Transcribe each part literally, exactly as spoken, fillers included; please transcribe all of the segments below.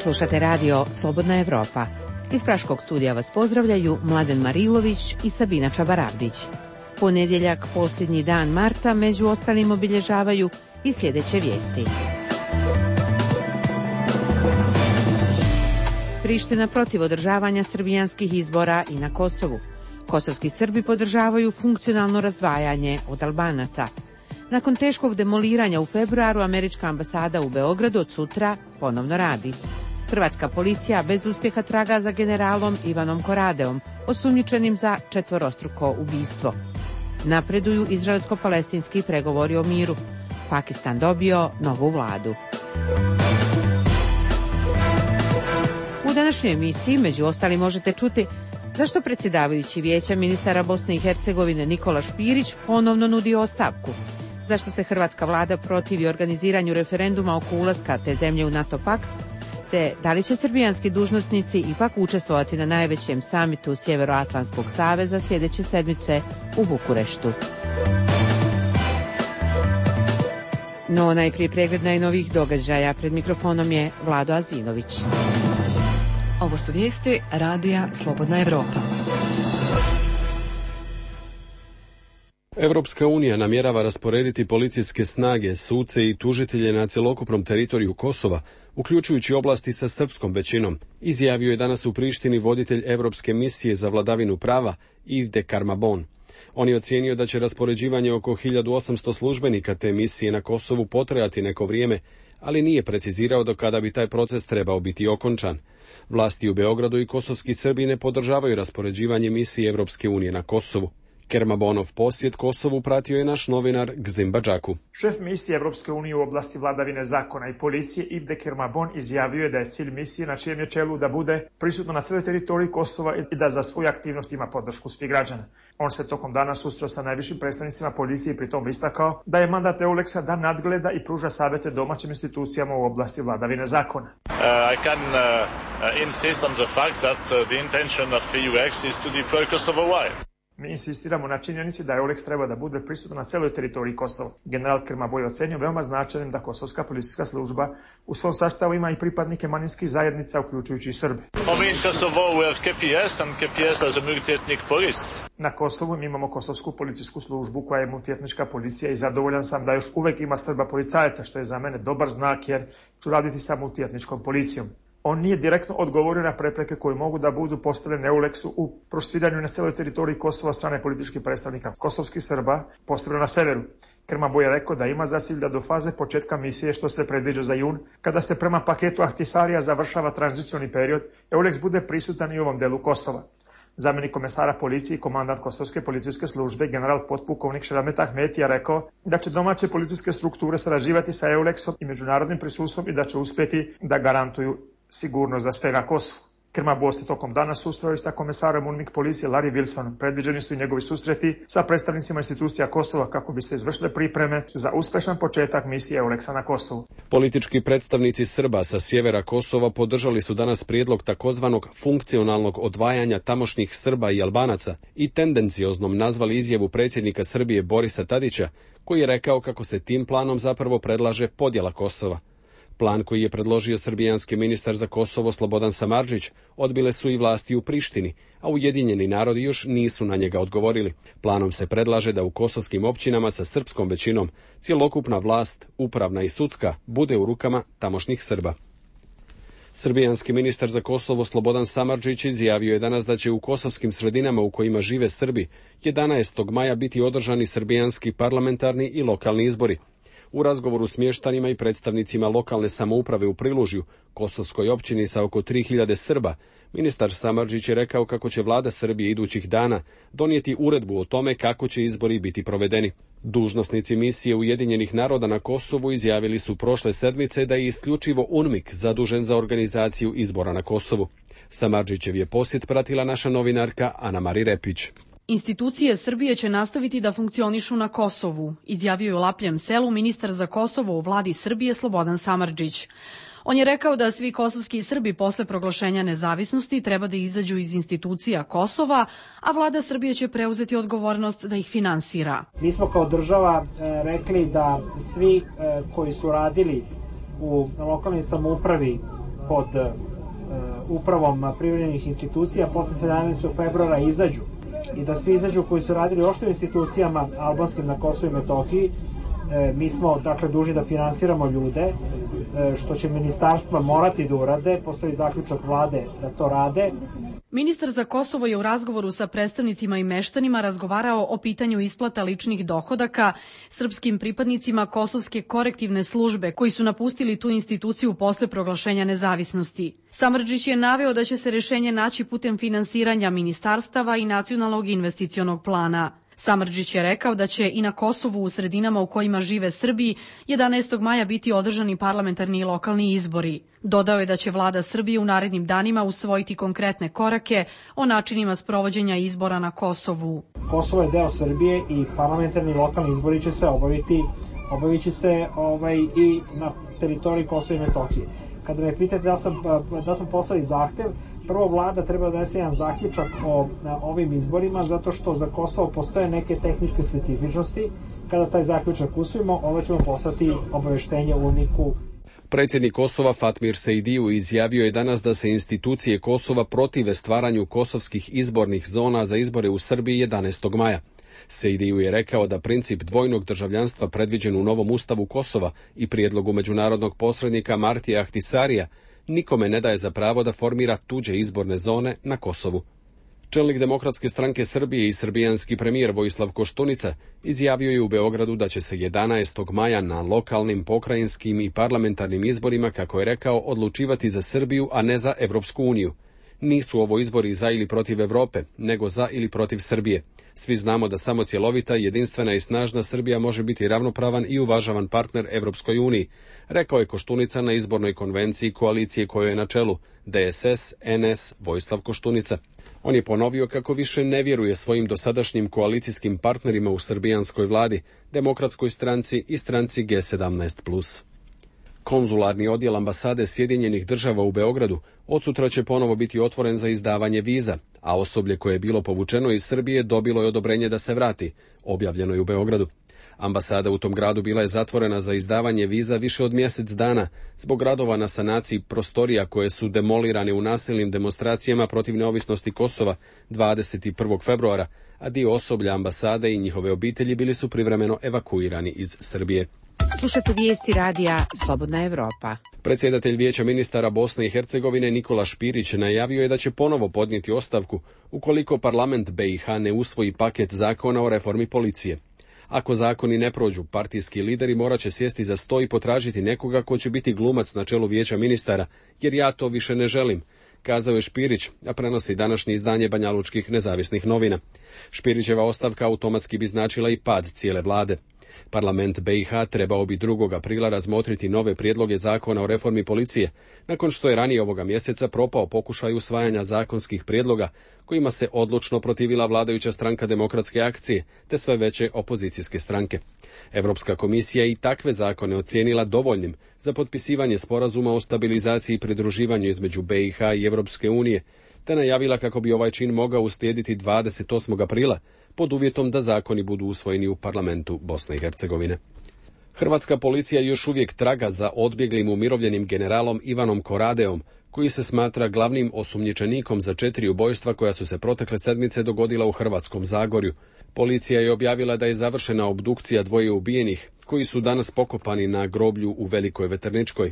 Slušate radio Slobodna Evropa. Iz Praškog studija vas pozdravljaju Mladen Marilović i Sabina Čabarabdić. Ponedjeljak, posljednji dan marta, među ostalim obilježavaju i sljedeće vijesti. Priština protiv održavanja srbijanskih izbora i na Kosovu. Kosovski Srbi podržavaju funkcionalno razdvajanje od Albanaca. Nakon teškog demoliranja u februaru, američka ambasada u Beogradu od sutra ponovno radi. Hrvatska policija bez uspjeha traga za generalom Ivanom Koradeom, osumnjičenim za četvorostruko ubistvo. Napreduju izraelsko-palestinski pregovori o miru. Pakistan dobio novu vladu. U današnjoj emisiji, među ostalim, možete čuti zašto predsjedavajući Vijeća ministara Bosne i Hercegovine Nikola Špirić ponovno nudi ostavku, zašto se hrvatska vlada protivi organiziranju referenduma oko ulaska te zemlje u NATO pakt, te da li će srbijanski dužnosnici ipak učestvovati na najvećem samitu Sjevernoatlantskog saveza sljedeće sedmice u Bukureštu. No, najprije pregled najnovijih događaja. Pred mikrofonom je Vlado Azinović. Ovo su vijesti radija Slobodna Evropa. Evropska unija namjerava rasporediti policijske snage, suce i tužitelje na cjelokupnom teritoriju Kosova, uključujući oblasti sa srpskom većinom, izjavio je danas u Prištini voditelj Evropske misije za vladavinu prava Yves de Carmabon. On je ocijenio da će raspoređivanje oko hiljadu osamsto službenika te misije na Kosovu potrajati neko vrijeme, ali nije precizirao do kada bi taj proces trebao biti okončan. Vlasti u Beogradu i kosovski Srbi ne podržavaju raspoređivanje misije Evropske unije na Kosovu. Kermabonov posjet Kosovu pratio je naš novinar Gzim Badžaku. Šef misije Evropske unije u oblasti vladavine zakona i policije Yves de Carmabon izjavio je da je cilj misije na čijem je čelu da bude prisutno na svoj teritoriji Kosova i da za svoju aktivnost ima podršku svih građana. On se tokom dana susreo sa najvišim predstavnicima policije i pritom istakao da je mandat EULEX-a da nadgleda i pruža savjete domaćim institucijama u oblasti vladavine zakona. Uh, I can uh, insist on the fact that uh, the intention of EULEX is to deploy Kosovo wide. Mi insistiramo na činjenici da EULEX treba da bude prisutan na celoj teritoriji Kosova. General Kermaboj ocenio veoma značajnim da kosovska policijska služba u svom sastavu ima i pripadnike manjinskih zajednica, uključujući i Srbe. Na Kosovu mi imamo kosovsku policijsku službu koja je multietnička policija i zadovoljan sam da još uvek ima Srba policajaca, što je za mene dobar znak jer ću raditi sa multietničkom policijom. On nije direktno odgovorio na prepreke koje mogu da budu postavljene EULEX-u u proširiranju na celoj teritoriji Kosova strane političkih predstavnika kosovskih Srba, posebno na severu. Kermaboj je rekao da ima za cilj da do faze početka misije, što se predviđa za jun, kada se prema paketu Ahtisarija završava tranzicioni period, EULEX bude prisutan i u ovom delu Kosova. Zamjenik komesara policije i komandant Kosovske policijske službe, general potpukovnik Šeramet Ahmeti, je rekao da će domaće policijske strukture sarađivati sa EULEX-om i međunarodnim prisustvom i da će uspjeti da garantuju sigurnost za sve na Kosovu. Kermaboj se tokom dana susreo i sa komesarom UNMIK policije Larry Wilsonom. Predviđeni su i njegovi susreti sa predstavnicima institucija Kosova kako bi se izvršile pripreme za uspešan početak misije EULEX-a na Kosovu. Politički predstavnici Srba sa sjevera Kosova podržali su danas prijedlog takozvanog funkcionalnog odvajanja tamošnjih Srba i Albanaca i tendencioznom nazvali izjavu predsjednika Srbije Borisa Tadića, koji je rekao kako se tim planom zapravo predlaže podjela Kosova. Plan koji je predložio srbijanski ministar za Kosovo Slobodan Samardžić odbile su i vlasti u Prištini, a Ujedinjeni narodi još nisu na njega odgovorili. Planom se predlaže da u kosovskim općinama sa srpskom većinom cjelokupna vlast, upravna i sudska, bude u rukama tamošnjih Srba. Srbijanski ministar za Kosovo Slobodan Samardžić izjavio je danas da će u kosovskim sredinama u kojima žive Srbi jedanaestog maja biti održani srbijanski parlamentarni i lokalni izbori. U razgovoru s mještanima i predstavnicima lokalne samouprave u Prilužju, kosovskoj općini sa oko tri hiljade Srba, ministar Samardžić je rekao kako će vlada Srbije idućih dana donijeti uredbu o tome kako će izbori biti provedeni. Dužnosnici misije Ujedinjenih naroda na Kosovu izjavili su prošle sedmice da je isključivo UNMIK zadužen za organizaciju izbora na Kosovu. Samardžićev je posjet pratila naša novinarka Ana Mari Repić. Institucije Srbije će nastaviti da funkcionišu na Kosovu, izjavio je u Lapljem selu ministar za Kosovo u vladi Srbije Slobodan Samardžić. On je rekao da svi kosovski Srbi posle proglašenja nezavisnosti treba da izađu iz institucija Kosova, a vlada Srbije će preuzeti odgovornost da ih finansira. Mi smo kao država e, rekli da svi e, koji su radili u lokalnoj samoupravi pod upravom privremenih institucija posle sedamnaestog februara izađu i da svi izađu koji su radili uopšte u institucijama albanskim na Kosovu i Metohiji. Mi smo dakle dužni da finansiramo ljude, što će ministarstva morati da urade, postoji zaključak vlade da to rade. Ministar za Kosovo je u razgovoru sa predstavnicima i meštanima razgovarao o pitanju isplata ličnih dohodaka srpskim pripadnicima Kosovske korektivne službe koji su napustili tu instituciju posle proglašenja nezavisnosti. Samardžić je naveo da će se rešenje naći putem finansiranja ministarstava i nacionalnog investicionog plana. Samardžić je rekao da će i na Kosovu u sredinama u kojima žive Srbi jedanaestog maja biti održani parlamentarni i lokalni izbori. Dodao je da će vlada Srbije u narednim danima usvojiti konkretne korake o načinima sprovođenja izbora na Kosovu. Kosovo je deo Srbije i parlamentarni i lokalni izbori će se obaviti, obavit će se ovaj, i na teritoriji Kosova i Metohije. Kada me pitate da sam, da sam poslali zahtev, prvo vlada treba da donese jedan zaključak o ovim izborima, zato što za Kosovo postoje neke tehničke specifičnosti. Kada taj zaključak usvojimo, onda ćemo poslati obaveštenje U N I K-u. Predsjednik Kosova Fatmir Sejdiju izjavio je danas da se institucije Kosova protive stvaranju kosovskih izbornih zona za izbore u Srbiji jedanaestog maja. Sejdiju je rekao da princip dvojnog državljanstva predviđen u novom ustavu Kosova i prijedlogu međunarodnog posrednika Martija Ahtisarija nikome ne daje za pravo da formira tuđe izborne zone na Kosovu. Čelnik Demokratske stranke Srbije i srbijanski premijer Vojislav Koštunica izjavio je u Beogradu da će se jedanaestog maja na lokalnim, pokrajinskim i parlamentarnim izborima, kako je rekao, odlučivati za Srbiju, a ne za Evropsku uniju. Nisu ovo izbori za ili protiv Evrope, nego za ili protiv Srbije. Svi znamo da samo cjelovita, jedinstvena i snažna Srbija može biti ravnopravan i uvažavan partner Evropskoj uniji, rekao je Koštunica na izbornoj konvenciji koalicije kojoj je na čelu D S S, N S, Vojislav Koštunica. On je ponovio kako više ne vjeruje svojim dosadašnjim koalicijskim partnerima u srbijanskoj vladi, Demokratskoj stranci i stranci G sedamnaest plus. Konzularni odjel ambasade Sjedinjenih država u Beogradu odsutra će ponovo biti otvoren za izdavanje viza, a osoblje koje je bilo povučeno iz Srbije dobilo je odobrenje da se vrati, objavljeno je u Beogradu. Ambasada u tom gradu bila je zatvorena za izdavanje viza više od mjesec dana zbog radova na sanaciji prostorija koje su demolirane u nasilnim demonstracijama protiv neovisnosti Kosova dvadeset prvog februara, a dio osoblja ambasade i njihove obitelji bili su privremeno evakuirani iz Srbije. Slušate vijesti radija Slobodna Evropa. Predsjedatelj Vijeća ministara Bosne i Hercegovine Nikola Špirić najavio je da će ponovo podnijeti ostavku ukoliko parlament B i H ne usvoji paket zakona o reformi policije. Ako zakoni ne prođu, partijski lideri morat će sjesti za sto i potražiti nekoga ko će biti glumac na čelu Vijeća ministara, jer ja to više ne želim, kazao je Špirić, a prenosi današnje izdanje banjalučkih nezavisnih novina. Špirićeva ostavka automatski bi značila i pad cijele vlade. Parlament B i H trebao bi drugog aprila razmotriti nove prijedloge zakona o reformi policije, nakon što je ranije ovoga mjeseca propao pokušaj usvajanja zakonskih prijedloga kojima se odlučno protivila vladajuća stranka Demokratske akcije te sve veće opozicijske stranke. Europska komisija i takve zakone ocijenila dovoljnim za potpisivanje sporazuma o stabilizaciji i pridruživanju između B i H i Europske unije, te najavila kako bi ovaj čin mogao uslijediti dvadeset osmog aprila pod uvjetom da zakoni budu usvojeni u parlamentu Bosne i Hercegovine. Hrvatska policija još uvijek traga za odbjeglim umirovljenim generalom Ivanom Koradeom, koji se smatra glavnim osumnjičenikom za četiri ubojstva koja su se protekle sedmice dogodila u Hrvatskom Zagorju. Policija je objavila da je završena obdukcija dvoje ubijenih, koji su danas pokopani na groblju u Velikoj Veterničkoj.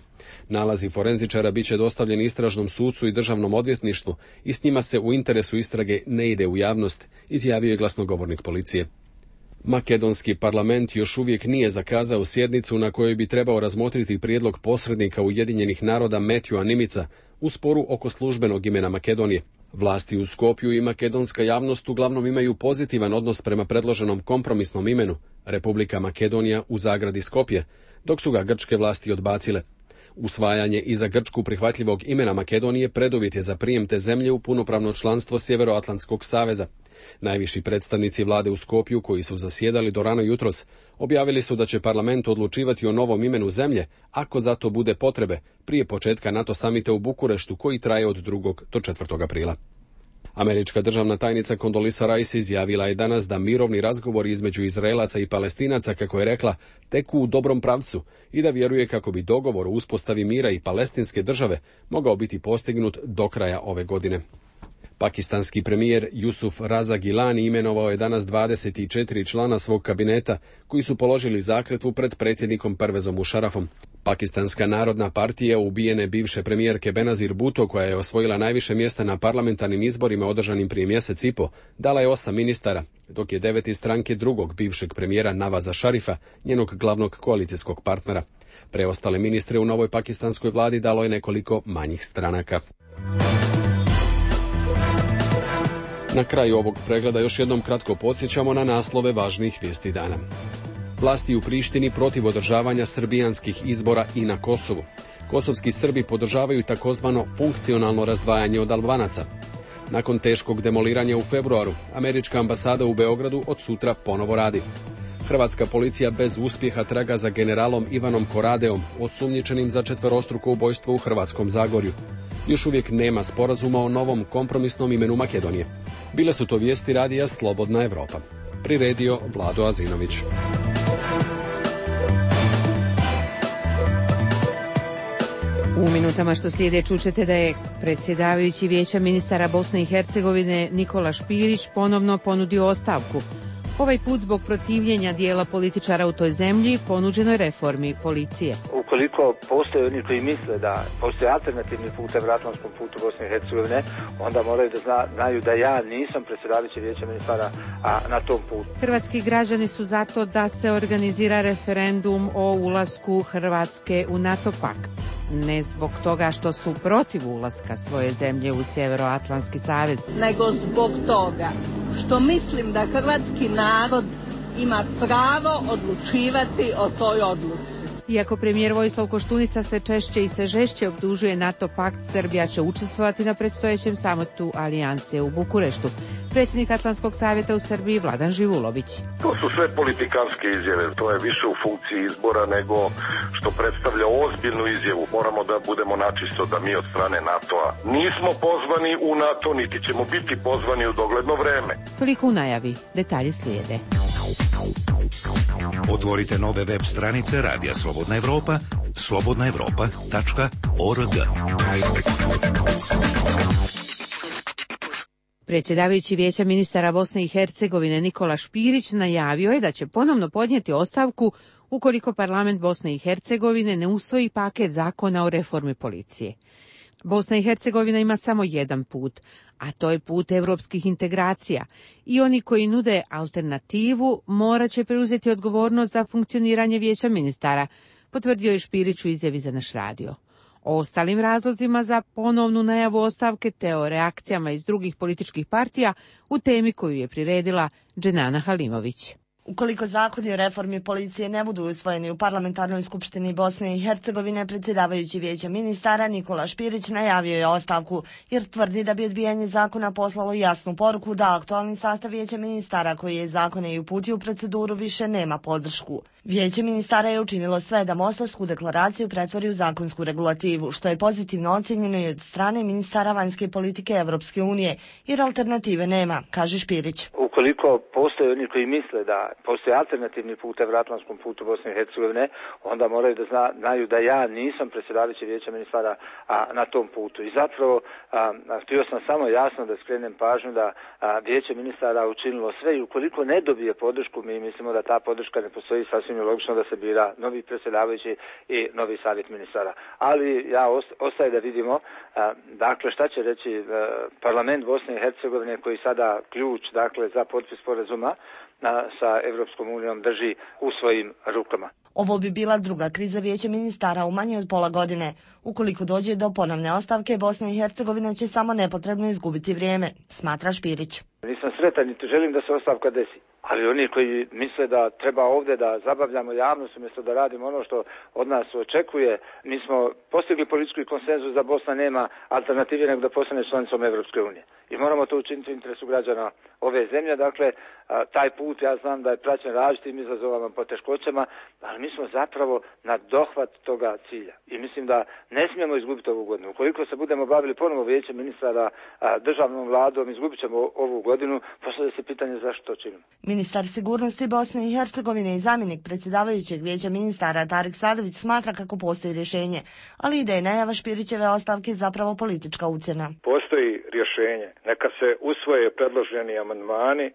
Nalazi forenzičara bit će dostavljeni istražnom sucu i državnom odvjetništvu i s njima se u interesu istrage ne ide u javnost, izjavio je glasnogovornik policije. Makedonski parlament još uvijek nije zakazao sjednicu na kojoj bi trebao razmotriti prijedlog posrednika Ujedinjenih naroda Metjua Nimica u sporu oko službenog imena Makedonije. Vlasti u Skopju i makedonska javnost uglavnom imaju pozitivan odnos prema predloženom kompromisnom imenu Republika Makedonija u zagradi Skopje, dok su ga grčke vlasti odbacile. Usvajanje i za Grčku prihvatljivog imena Makedonije preduvjet je za prijem te zemlje u punopravno članstvo Sjeveroatlantskog saveza. Najviši predstavnici vlade u Skopju, koji su zasjedali do rano jutros, objavili su da će parlament odlučivati o novom imenu zemlje, ako za to bude potrebe, prije početka NATO samita u Bukureštu, koji traje od drugog do četvrtog aprila. Američka državna tajnica Condoleezza Rice izjavila je danas da mirovni razgovori između Izraelaca i Palestinaca, kako je rekla, teku u dobrom pravcu i da vjeruje kako bi dogovor o uspostavi mira i palestinske države mogao biti postignut do kraja ove godine. Pakistanski premijer Jusuf Raza Gilani imenovao je danas dvadeset četiri člana svog kabineta koji su položili zakletvu pred predsjednikom Pervezom Musharrafom. Pakistanska narodna partija ubijene bivše premijerke Benazir Bhutto, koja je osvojila najviše mjesta na parlamentarnim izborima održanim prije mjesec i po, dala je osam ministara, dok je devet iz stranke drugog bivšeg premijera Navaza Šarifa, njenog glavnog koalicijskog partnera. Preostale ministre u novoj pakistanskoj vladi dalo je nekoliko manjih stranaka. Na kraju ovog pregleda još jednom kratko podsjećamo na naslove važnih vijesti dana. Vlasti u Prištini protiv održavanja srbijanskih izbora i na Kosovu. Kosovski Srbi podržavaju takozvano funkcionalno razdvajanje od Albanaca. Nakon teškog demoliranja u februaru, američka ambasada u Beogradu od sutra ponovo radi. Hrvatska policija bez uspjeha traga za generalom Ivanom Koradeom, osumnjičenim za četverostruko ubojstvo u Hrvatskom Zagorju. Još uvijek nema sporazuma o novom kompromisnom imenu Makedonije. Bile su to vijesti radija Slobodna Evropa. Priredio Vlado Azinović. U minutama što slijede čućete da je predsjedavajući Vijeća ministara Bosne i Hercegovine Nikola Špirić ponovno ponudio ostavku. Ovaj put zbog protivljenja dijela političara u toj zemlji ponuđenoj reformi policije. Ukoliko postoje oni koji misle da postoje alternativni put evroatlantskom putu Bosne i Hercegovine, onda moraju da zna, znaju da ja nisam predsjedavajući Vijeća ministara a, na tom putu. Hrvatski građani su zato da se organizira referendum o ulasku Hrvatske u NATO pakt. Ne zbog toga što su protiv ulaska svoje zemlje u Sjevernoatlantski savez, nego zbog toga što mislim da hrvatski narod ima pravo odlučivati o toj odluci. Iako premijer Vojislav Koštunica se češće i sve žešće optužuje NATO pakt, Srbija će učestvovati na predstojećem samitu Alijanse u Bukureštu. Predsjednik Atlantskog savjeta u Srbiji Vladan Živulović. To su sve politikanske izjave, to je više u funkciji izbora nego što predstavlja ozbiljnu izjavu. Moramo da budemo načisto da mi od strane NATO-a nismo pozvani u NATO, niti ćemo biti pozvani u dogledno vreme. Toliko u najavi, detalji slijede. Otvorite nove web stranice Radija Slobodna Evropa, slobodna evropa tačka org. Predsjedavajući Vijeća ministara Bosne i Hercegovine Nikola Špirić najavio je da će ponovno podnijeti ostavku ukoliko parlament Bosne i Hercegovine ne usvoji paket zakona o reformi policije. Bosna i Hercegovina ima samo jedan put, a to je put evropskih integracija i oni koji nude alternativu morat će preuzeti odgovornost za funkcioniranje Vijeća ministara, potvrdio je Špirić u izjavi za naš radio. O ostalim razlozima za ponovnu najavu ostavke te o reakcijama iz drugih političkih partija u temi koju je priredila Dženana Halimović. Ukoliko zakoni o reformi policije ne budu usvojeni u parlamentarnoj skupštini Bosne i Hercegovine, predsjedavajući Vijeća ministara Nikola Špirić najavio je ostavku, jer tvrdi da bi odbijanje zakona poslalo jasnu poruku da aktualni sastav Vijeća ministara koji je zakone i uputio u proceduru više nema podršku. Vijeće ministara je učinilo sve da Mostarsku deklaraciju pretvori u zakonsku regulativu, što je pozitivno ocjenjeno i od strane ministara vanjske politike Evropske unije, jer alternative nema, kaže Špirić. Ukoliko postoje oni koji misle da postoje alternativni put evroatlantskom putu Bosne i Hercegovine, onda moraju da zna, znaju da ja nisam predsjedavajući Vijeća ministara a, na tom putu. I zapravo a, a, htio sam samo jasno da skrenem pažnju da a, Vijeće ministara učinilo sve i ukoliko ne dobije podršku, mi mislimo da ta podrška ne postoji, sasvim je logično da se bira novi predsjedavajući i novi savjet ministara. Ali ja ostaje da vidimo a, dakle šta će reći a, parlament Bosne i Hercegovine koji sada ključ dakle za potpis sporazuma sa Evropskom unijom drži u svojim rukama. Ovo bi bila druga kriza Vijeća ministara u manje od pola godine. Ukoliko dođe do ponovne ostavke, Bosna i Hercegovina će samo nepotrebno izgubiti vrijeme, smatra Špirić. Nisam sretan niti želim da se ostavka desi, Ali oni koji misle da treba ovdje da zabavljamo javnost umjesto da radimo ono što od nas očekuje, mi smo postigli politički konsenzus da Bosna nema alternative nego da postane članicom Evropske unije. I moramo to učiniti u interesu građana ove zemlje. Dakle, taj put ja znam da je praćen različitim izazovama, poteškoćama, ali mi smo zapravo na dohvat toga cilja. I mislim da ne smijemo izgubiti ovu godinu. Ukoliko se budemo bavili ponovo vijećem ministara, državnom vladom, izgubit ćemo ovu godinu, postavlja se pitanje zašto to činimo. Ministar sigurnosti Bosne i Hercegovine i zamjenik predsjedavajućeg vijeća ministara Tarik Sadović smatra kako postoji rješenje, ali ide i najava Špirićeve ostavke zapravo politička ucjena. Postoji rješenje. Neka se usvoje predloženi amandmani,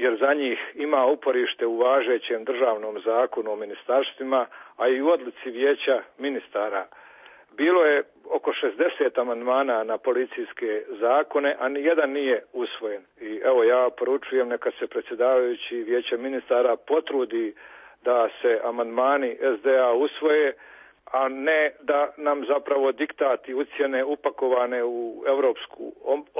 jer za njih ima uporište u važećem državnom zakonu o ministarstvima, a i u odluci vijeća ministara. Bilo je oko šezdeset amandmana na policijske zakone, a nijedan nije usvojen. I evo ja poručujem neka se predsjedavajući vijeća ministara potrudi da se amandmani es de a usvoje, a ne da nam zapravo diktati ucjene upakovane u europsku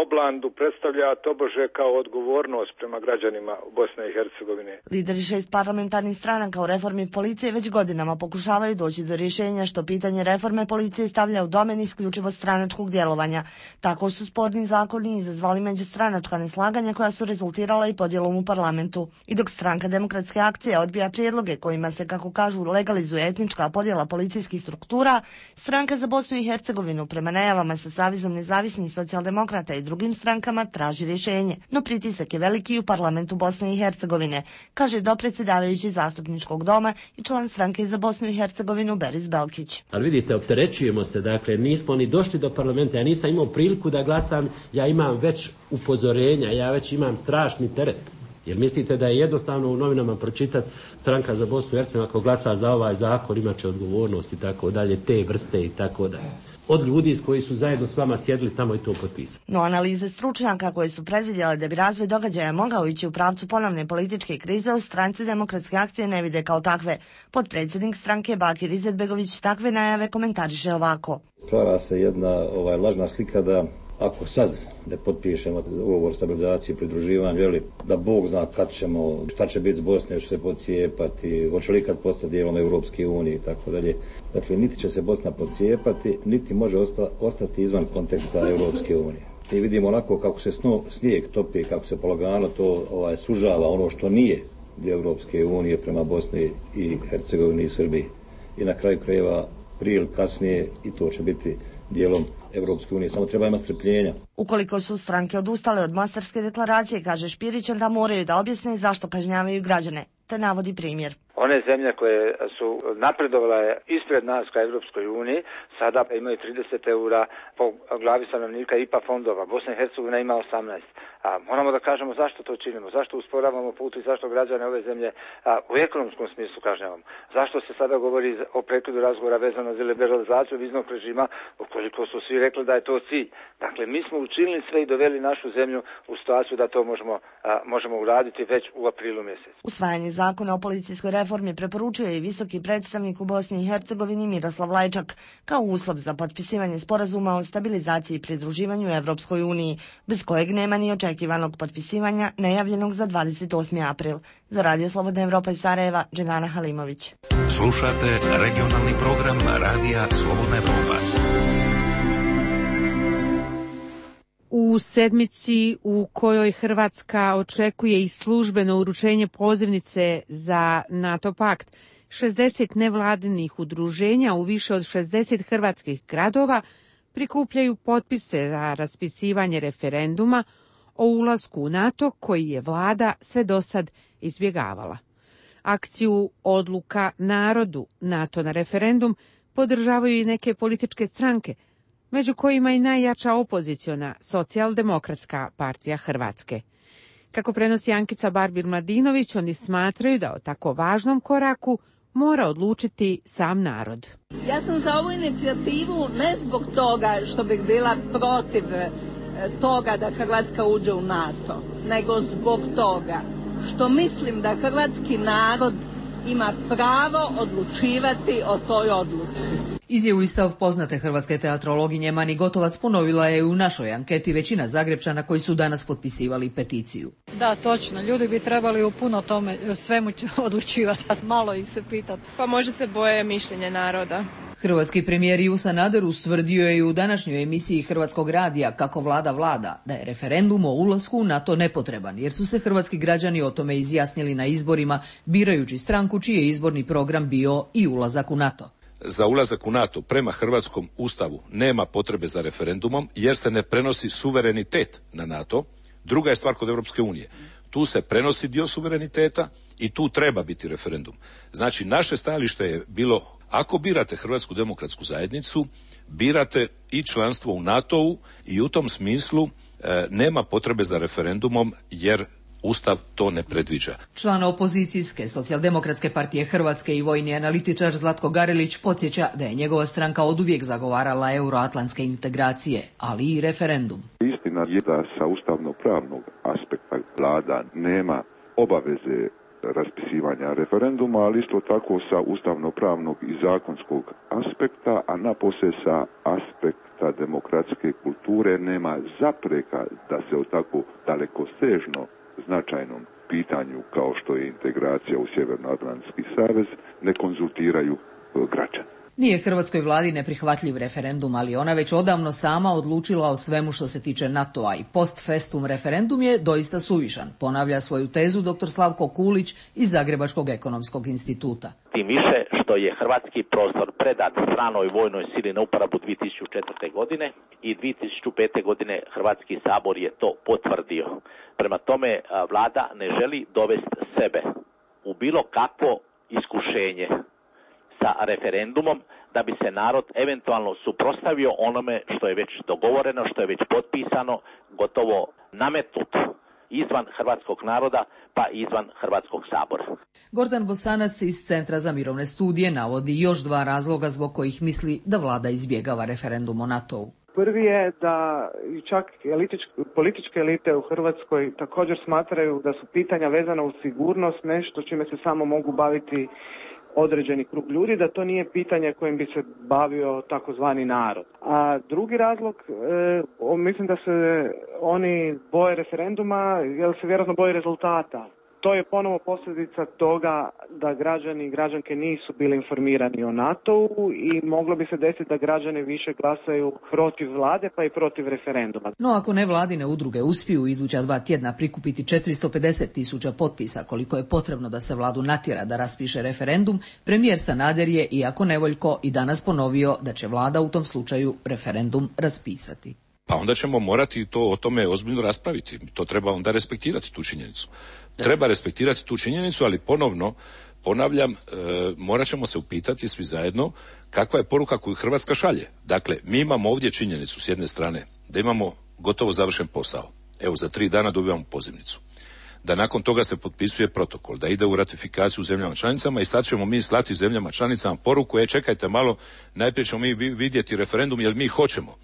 oblandu predstavlja tobože kao odgovornost prema građanima Bosne i Hercegovine. Lideri šest parlamentarnih stranaka u reformi policije već godinama pokušavaju doći do rješenja što pitanje reforme policije stavlja u domen isključivo stranačkog djelovanja. Tako su sporni zakoni izazvali međustranačka neslaganja koja su rezultirala i podjelom u parlamentu. I dok stranka Demokratske akcije odbija prijedloge kojima se, kako kažu, legalizuje etnička podjela policijskih struktura, stranka za Bosnu i Hercegovinu prema najavama sa Savezom nezavisnih socijaldemokrata i drugim strankama traži rješenje. No pritisak je veliki u parlamentu Bosne i Hercegovine, kaže dopredsjedavajući zastupničkog doma i član stranke za Bosnu i Hercegovinu Beris Belkić. Ali vidite, opterećujemo se, dakle nismo ni došli do parlamenta, ja nisam imao priliku da glasam, ja imam već upozorenja, ja već imam strašni teret. Jer mislite da je jednostavno u novinama pročitati stranka za Bosnu i Hercegovinu ako glasa za ovaj zakon imat će odgovornost i tako dalje, te vrste i tako dalje. Od ljudi koji su zajedno s vama sjedili tamo i to potpisali. No analize stručnjaka koje su predvidjele da bi razvoj događaja mogao ići u pravcu ponovne političke krize u stranci Demokratske akcije ne vide kao takve. Potpredsjednik stranke Bakir Izetbegović takve najave komentariše ovako. Stvara se jedna ovaj, lažna slika da ako sad ne potpišemo ugovor stabilizacije i pridruživanja, veli da Bog zna kad ćemo, šta će biti s Bosne, će se podcijepati, hoće li kad postati dijelom Europske unije i tako dalje. Dakle, niti će se Bosna podcijepati, niti može osta, ostati izvan konteksta Europske unije. I vidimo onako kako se sno, snijeg topi, kako se polagano to ovaj, sužava ono što nije dio Europske unije prema Bosni i Hercegovini i Srbiji. I na kraju krajeva prije ili kasnije i to će biti dijelom Evropske unije, samo treba imati strpljenja. Ukoliko su stranke odustale od Mostarske deklaracije, kaže Špirić, onda moraju da objasne zašto kažnjavaju građane, te navodi primjer. One zemlje koje su napredovale ispred nas ka Evropskoj uniji, sada imaju trideset eura po glavi stanovnika I P A fondova. Bosna i Hercegovina ima osamnaest. A moramo da kažemo zašto to činimo, zašto usporavamo put i zašto građane ove zemlje a, u ekonomskom smislu kažnjavamo. Zašto se sada govori o prekidu razgovora vezano za liberalizaciju viznog režima, ukoliko su svi rekli da je to cilj. Dakle, mi smo učinili sve i doveli našu zemlju u situaciju da to možemo, a, možemo uraditi već u aprilu mjesecu. Usvajanje zakona o policijskoj reformi preporučuje i visoki predstavnik u Bosni i Hercegovini Miroslav Lajčak kao uslov za potpisivanje sporazuma o stabilizaciji i pridruživanju Evropskoj uniji, bez kojeg nema ni očekivanog potpisivanja najavljenog za dvadeset osmi april. Za Radio Slobodna Evropa iz Sarajeva, Dženana Halimović. Slušate regionalni program Radija Slobodna Evropa. U sedmici u kojoj Hrvatska očekuje i službeno uručenje pozivnice za NATO pakt, šezdeset nevladinih udruženja u više od šezdeset hrvatskih gradova prikupljaju potpise za raspisivanje referenduma o ulasku u NATO koji je vlada sve dosad izbjegavala. Akciju Odluka narodu NATO na referendum podržavaju i neke političke stranke, među kojima i najjača opoziciona Socijaldemokratska partija Hrvatske. Kako prenosi Ankica Barbir-Mladinović, oni smatraju da o tako važnom koraku mora odlučiti sam narod. Ja sam za ovu inicijativu ne zbog toga što bih bila protiv toga da Hrvatska uđe u NATO, nego zbog toga što mislim da hrvatski narod ima pravo odlučivati o toj odluci. Izjavu i stav poznate hrvatske teatrologinje Mani Gotovac ponovila je u našoj anketi većina Zagrepčana koji su danas potpisivali peticiju. Da, točno. Ljudi bi trebali u puno tome svemu odlučivati, malo ih se pitati. Pa može se boje mišljenje naroda. Hrvatski premijer Ivo Sanader ustvrdio je i u današnjoj emisiji Hrvatskog radija Kako vlada vlada da je referendum o ulasku u NATO nepotreban, jer su se hrvatski građani o tome izjasnili na izborima birajući stranku čiji je izborni program bio i ulazak u NATO. Za ulazak u NATO prema hrvatskom ustavu nema potrebe za referendumom jer se ne prenosi suverenitet na NATO. Druga je stvar kod Europske unije. Tu se prenosi dio suvereniteta i tu treba biti referendum. Znači, naše stajalište je bilo, ako birate Hrvatsku demokratsku zajednicu, birate i članstvo u NATO-u i u tom smislu e, nema potrebe za referendumom jer Ustav to ne predviđa. Član opozicijske Socijaldemokratske partije Hrvatske i vojni analitičar Zlatko Garelić podsjeća da je njegova stranka oduvijek zagovarala euroatlantske integracije, ali i referendum. Istina je da sa ustavno-pravnog aspekta vlada nema obaveze raspisivanja referenduma, ali isto tako sa ustavno-pravnog i zakonskog aspekta, a napose sa aspekta demokratske kulture nema zapreka da se o tako dalekosežno značajnom pitanju kao što je integracija u Sjevernoatlantski savez ne konzultiraju građani. Nije hrvatskoj vladi neprihvatljiv referendum, ali ona već odavno sama odlučila o svemu što se tiče NATO-a i post festum referendum je doista suvišan, ponavlja svoju tezu dr. Slavko Kulić iz Zagrebačkog ekonomskog instituta. Tim više što je hrvatski prostor predat stranoj vojnoj sili na uporabu dvije tisuće četvrte. godine i dvije tisuće pete. godine Hrvatski sabor je to potvrdio. Prema tome, vlada ne želi dovesti sebe u bilo kakvo iskušenje sa referendumom da bi se narod eventualno suprotstavio onome što je već dogovoreno, što je već potpisano, gotovo nametnut izvan hrvatskog naroda pa izvan Hrvatskog sabora. Gordan Bosanac iz Centra za mirovne studije navodi još dva razloga zbog kojih misli da vlada izbjegava referendum o NATO-u. Prvi je da čak političke elite u Hrvatskoj također smatraju da su pitanja vezana uz sigurnost nešto čime se samo mogu baviti određeni krug ljudi, da to nije pitanje kojim bi se bavio takozvani narod. A drugi razlog, e, mislim da se oni boje referenduma jer se vjerojatno boje rezultata. To je ponovo posljedica toga da građani i građanke nisu bili informirani o NATO-u i moglo bi se desiti da građani više glasaju protiv vlade pa i protiv referenduma. No ako nevladine udruge uspiju u iduća dva tjedna prikupiti četiristo pedeset tisuća potpisa koliko je potrebno da se vladu natjera da raspiše referendum, premijer Sanader je, iako nevoljko, i danas ponovio da će vlada u tom slučaju referendum raspisati. Pa onda ćemo morati to o tome ozbiljno raspraviti. To treba onda respektirati tu činjenicu. Treba respektirati tu činjenicu, ali ponovno, ponavljam, e, morat ćemo se upitati svi zajedno kakva je poruka koju Hrvatska šalje. Dakle, mi imamo ovdje činjenicu s jedne strane da imamo gotovo završen posao. Evo, za tri dana dobivamo pozivnicu. Da nakon toga se potpisuje protokol, da ide u ratifikaciju u zemljama članicama i sad ćemo mi slati zemljama članicama poruku, e čekajte malo, najprije ćemo mi vidjeti referendum jer mi hoćemo.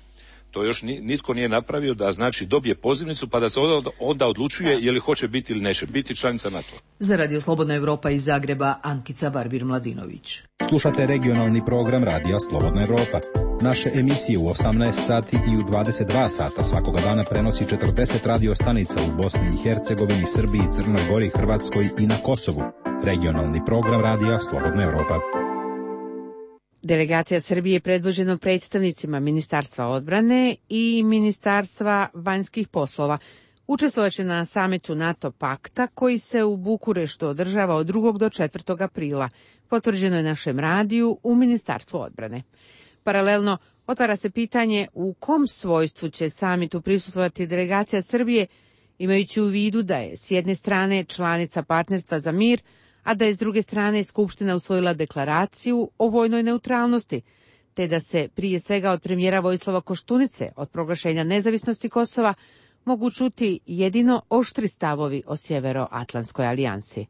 To još nitko nije napravio, da znači dobije pozivnicu pa da se onda odlučuje je li hoće biti ili neće biti članica NATO. Za Radio Slobodna Evropa iz Zagreba, Ankica Barbir-Mladinović. Slušate regionalni program Radija Slobodna Evropa. Naše emisije u osamnaest sati i u dvadeset dva sata svakoga dana prenosi četrdeset radio stanica u Bosni i Hercegovini, Srbiji, Crnoj Gori, Hrvatskoj i na Kosovu. Regionalni program Radija Slobodna Evropa. Delegacija Srbije predvođena predstavnicima Ministarstva odbrane i Ministarstva vanjskih poslova učestvovaće na samitu NATO pakta koji se u Bukureštu održava od drugog do četvrtog aprila, potvrđeno je našem radiju u Ministarstvu odbrane. Paralelno otvara se pitanje u kom svojstvu će samitu prisustvovati delegacija Srbije, imajući u vidu da je s jedne strane članica Partnerstva za mir, a da je s druge strane Skupština usvojila deklaraciju o vojnoj neutralnosti, te da se prije svega od premijera Vojislava Koštunice od proglašenja nezavisnosti Kosova mogu čuti jedino oštri stavovi o Sjeveroatlantskoj alijansi.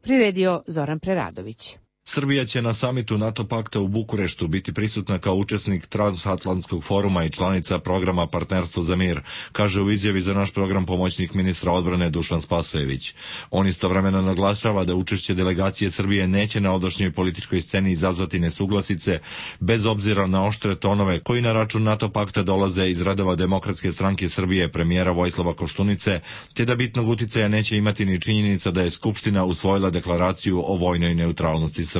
Priredio Zoran Preradović. Srbija će na samitu NATO pakta u Bukureštu biti prisutna kao učesnik transatlantskog foruma i članica programa Partnerstvo za mir, kaže u izjavi za naš program pomoćnik ministra odbrane Dušan Spasojević. On istovremeno naglašava da učešće delegacije Srbije neće na ovdašnjoj političkoj sceni izazvati nesuglasice, bez obzira na oštre tonove koji na račun NATO pakta dolaze iz redova Demokratske stranke Srbije premijera Vojislava Koštunice, te da bitnog uticaja neće imati ni činjenica da je Skupština usvojila deklaraciju o vojnoj neutralnosti Srbije.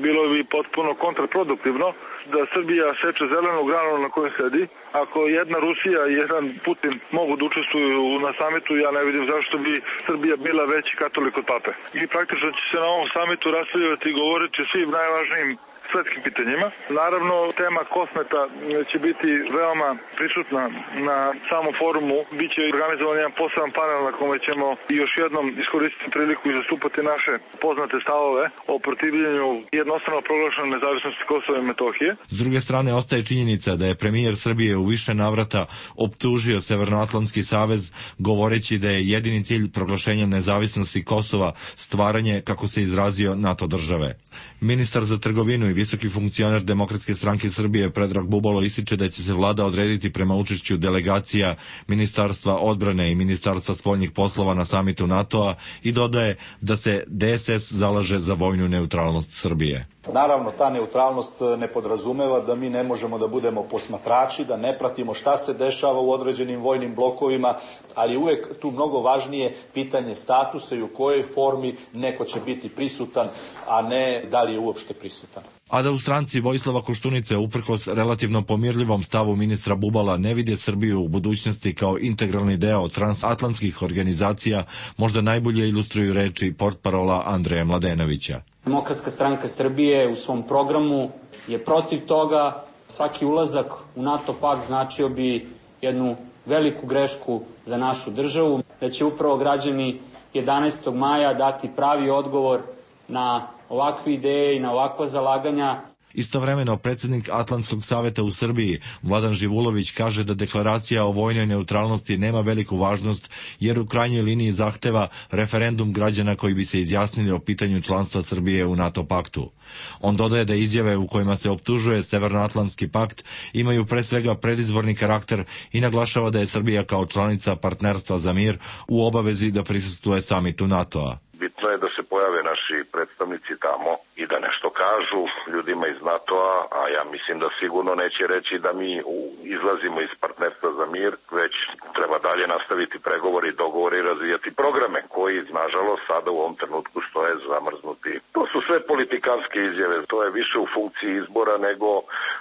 Bilo bi potpuno kontraproduktivno da Srbija seče zelenu granu na kojoj sedi. Ako jedna Rusija i jedan Putin mogu da učestvuju na samitu, ja ne vidim zašto bi Srbija bila veći katolik od pape. I praktično će se na ovom samitu raspravljati i govoriti o svim najvažnijim svetskim pitanjima. Naravno, tema kosmeta će biti veoma prisutna na samom forumu. Biće organizovan jedan poseban panel na kome ćemo još jednom iskoristiti priliku i zastupati naše poznate stavove o protivljenju jednostrano proglašene nezavisnosti Kosova i Metohije. S druge strane, ostaje činjenica da je premijer Srbije u više navrata optužio Severnoatlantski savez, govoreći da je jedini cilj proglašenja nezavisnosti Kosova stvaranje, kako se izrazio, NATO države. Ministar za trgovinu i visoki funkcioner Demokratske stranke Srbije Predrag Bubalo ističe da će se vlada odrediti prema učešću delegacija Ministarstva odbrane i Ministarstva spoljnih poslova na samitu NATO-a i dodaje da se D S S zalaže za vojnu neutralnost Srbije. Naravno, ta neutralnost ne podrazumeva da mi ne možemo da budemo posmatrači, da ne pratimo šta se dešava u određenim vojnim blokovima, ali uvek tu mnogo važnije pitanje statusa i u kojoj formi neko će biti prisutan, a ne da li je uopšte prisutan. A da u stranci Vojislava Koštunice, uprkos relativno pomirljivom stavu ministra Bubala, ne vide Srbiju u budućnosti kao integralni deo transatlantskih organizacija, možda najbolje ilustruju reči portparola Andreja Mladenovića. Demokratska stranka Srbije u svom programu je protiv toga. Svaki ulazak u NATO pakt značio bi jednu veliku grešku za našu državu, da će upravo građani jedanaestog maja dati pravi odgovor na ovakve ideje i na ovakva zalaganja. Istovremeno, predsjednik Atlantskog saveta u Srbiji, Vladan Živulović, kaže da deklaracija o vojnoj neutralnosti nema veliku važnost, jer u krajnjoj liniji zahteva referendum građana koji bi se izjasnili o pitanju članstva Srbije u NATO paktu. On dodaje da izjave u kojima se optužuje Severnoatlantski pakt imaju pre svega predizborni karakter i naglašava da je Srbija kao članica Partnerstva za mir u obavezi da prisustvuje samitu NATO-a. Bitno je da se pojave naši predstavnici tamo i da nešto kažu ljudima iz NATO-a, a ja mislim da sigurno neće reći da mi izlazimo iz Partnerstva za mir, već treba dalje nastaviti pregovori, dogovore i razvijati programe koji, nažalost, sada u ovom trenutku stoje zamrznuti. To su sve politikanske izjave, to je više u funkciji izbora nego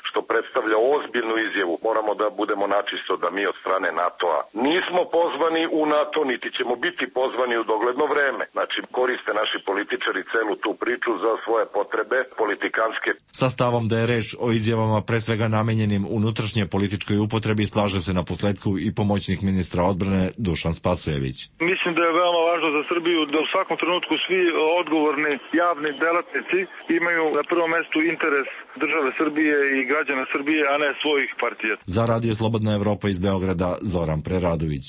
što predstavlja ozbiljnu izjavu. Moramo da budemo načisto da mi od strane NATO-a nismo pozvani u NATO, niti ćemo biti pozvani u dogledno vreme. Znači, koriste naši političari celu tu priču za svoje potrebe politikanske. Sa stavom da je reč o izjavama pre svega namenjenim unutrašnje političkoj upotrebi slaže se na posledku i pomoćnik ministra odbrane Dušan Spasojević. Mislim da je veoma važno za Srbiju da u svakom trenutku svi odgovorni javni delatnici imaju na prvom mestu interes države Srbije i građana Srbije, a ne svojih partija. Za Radio Slobodna Evropa iz Beograda, Zoran Preradović.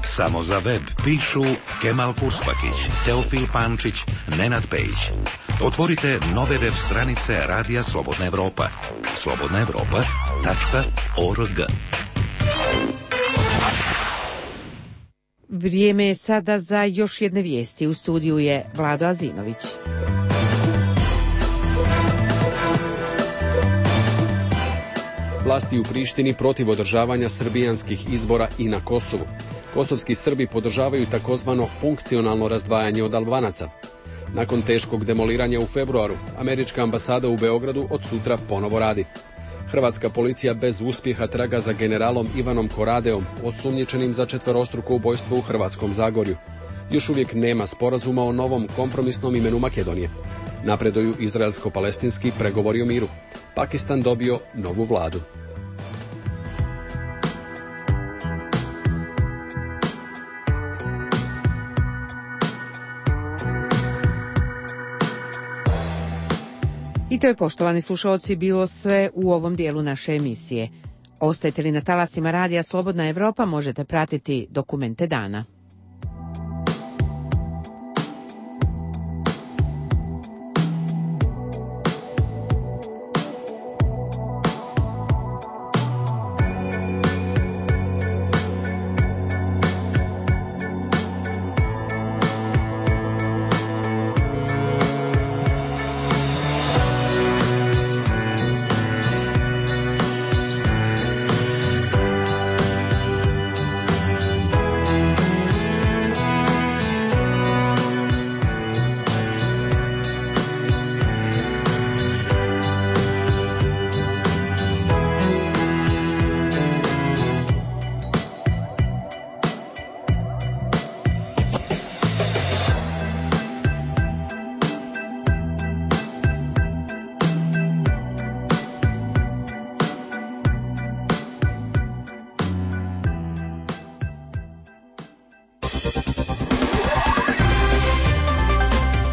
Samo za web pišu Kemal Kuspakić, Teofil Pančić, Nenad Pejić. Otvorite nove web stranice Radija Slobodna Evropa. slobodna evropa tačka org. Vrijeme je sada za još jedne vijesti. U studiju je Vlado Azinović. Vlasti u Prištini protiv održavanja srbijanskih izbora i na Kosovu. Kosovski Srbi podržavaju takozvano funkcionalno razdvajanje od Albanaca. Nakon teškog demoliranja u februaru, američka ambasada u Beogradu od sutra ponovo radi. Hrvatska policija bez uspjeha traga za generalom Ivanom Koradeom, osumnjičenim za četverostruko ubojstvo u Hrvatskom Zagorju. Još uvijek nema sporazuma o novom kompromisnom imenu Makedonije. Napreduju izraelsko-palestinski pregovori o miru. Pakistan dobio novu vladu. I to je, poštovani slušalci, bilo sve u ovom dijelu naše emisije. Ostajete li na talasima Radija Slobodna Evropa, možete pratiti Dokumente dana.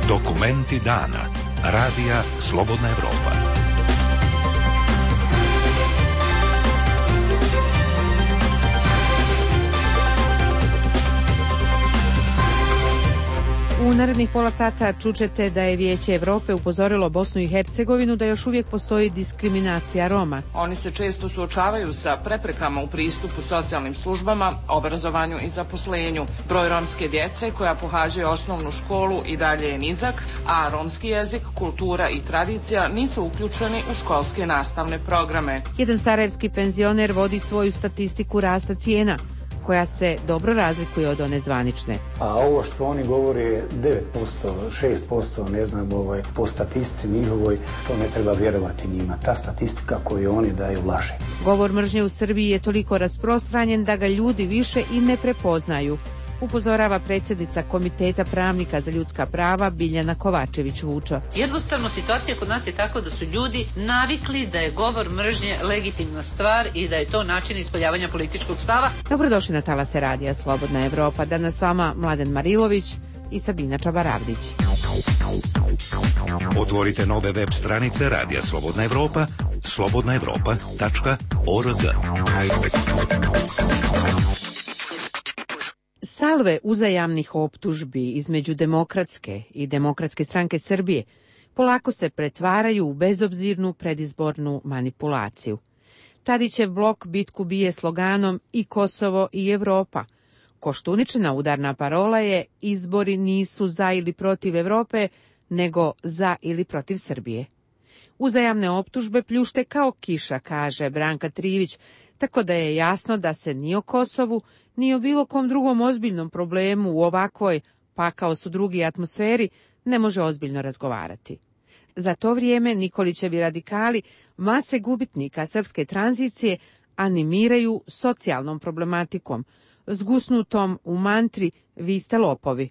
Dokumenti dana. Radija Slobodna Evropa. U narednih pola sata čućete da je Vijeće Evrope upozorilo Bosnu i Hercegovinu da još uvijek postoji diskriminacija Roma. Oni se često suočavaju sa preprekama u pristupu socijalnim službama, obrazovanju i zaposlenju. Broj romske djece koja pohađaju osnovnu školu i dalje je nizak, a romski jezik, kultura i tradicija nisu uključeni u školske nastavne programe. Jedan sarajevski penzioner vodi svoju statistiku rasta cijena, koja se dobro razlikuje od one zvanične. A ovo što oni govore je devet posto, šest posto, ne znam, ovaj, po statistici njihovoj, to ne treba vjerovati njima. Ta statistika koju oni daju laže. Govor mržnje u Srbiji je toliko rasprostranjen da ga ljudi više i ne prepoznaju, upozorava predsjednica Komiteta pravnika za ljudska prava Biljana Kovačević-Vučo. Jednostavno, situacija kod nas je tako da su ljudi navikli da je govor mržnje legitimna stvar i da je to način ispoljavanja političkog stava. Dobrodošli na talase Radija Slobodna Evropa. Danas s vama Mladen Marilović i Sabina Čabaravdić. Otvorite nove web stranice Radija Slobodna Evropa, slobodna evropa tačka org. Salve uzajamnih optužbi između Demokratske i Demokratske stranke Srbije polako se pretvaraju u bezobzirnu predizbornu manipulaciju. Tadićev blok bitku bije sloganom i Kosovo i Evropa. Koštuničina udarna parola je izbori nisu za ili protiv Evrope, nego za ili protiv Srbije. Uzajamne optužbe pljušte kao kiša, kaže Branka Trivić, tako da je jasno da se ni o Kosovu, ni o bilo kom drugom ozbiljnom problemu u ovakvoj, pa kao su drugi atmosferi, ne može ozbiljno razgovarati. Za to vrijeme Nikolićevi radikali mase gubitnika srpske tranzicije animiraju socijalnom problematikom, zgusnutom u mantri vi ste lopovi.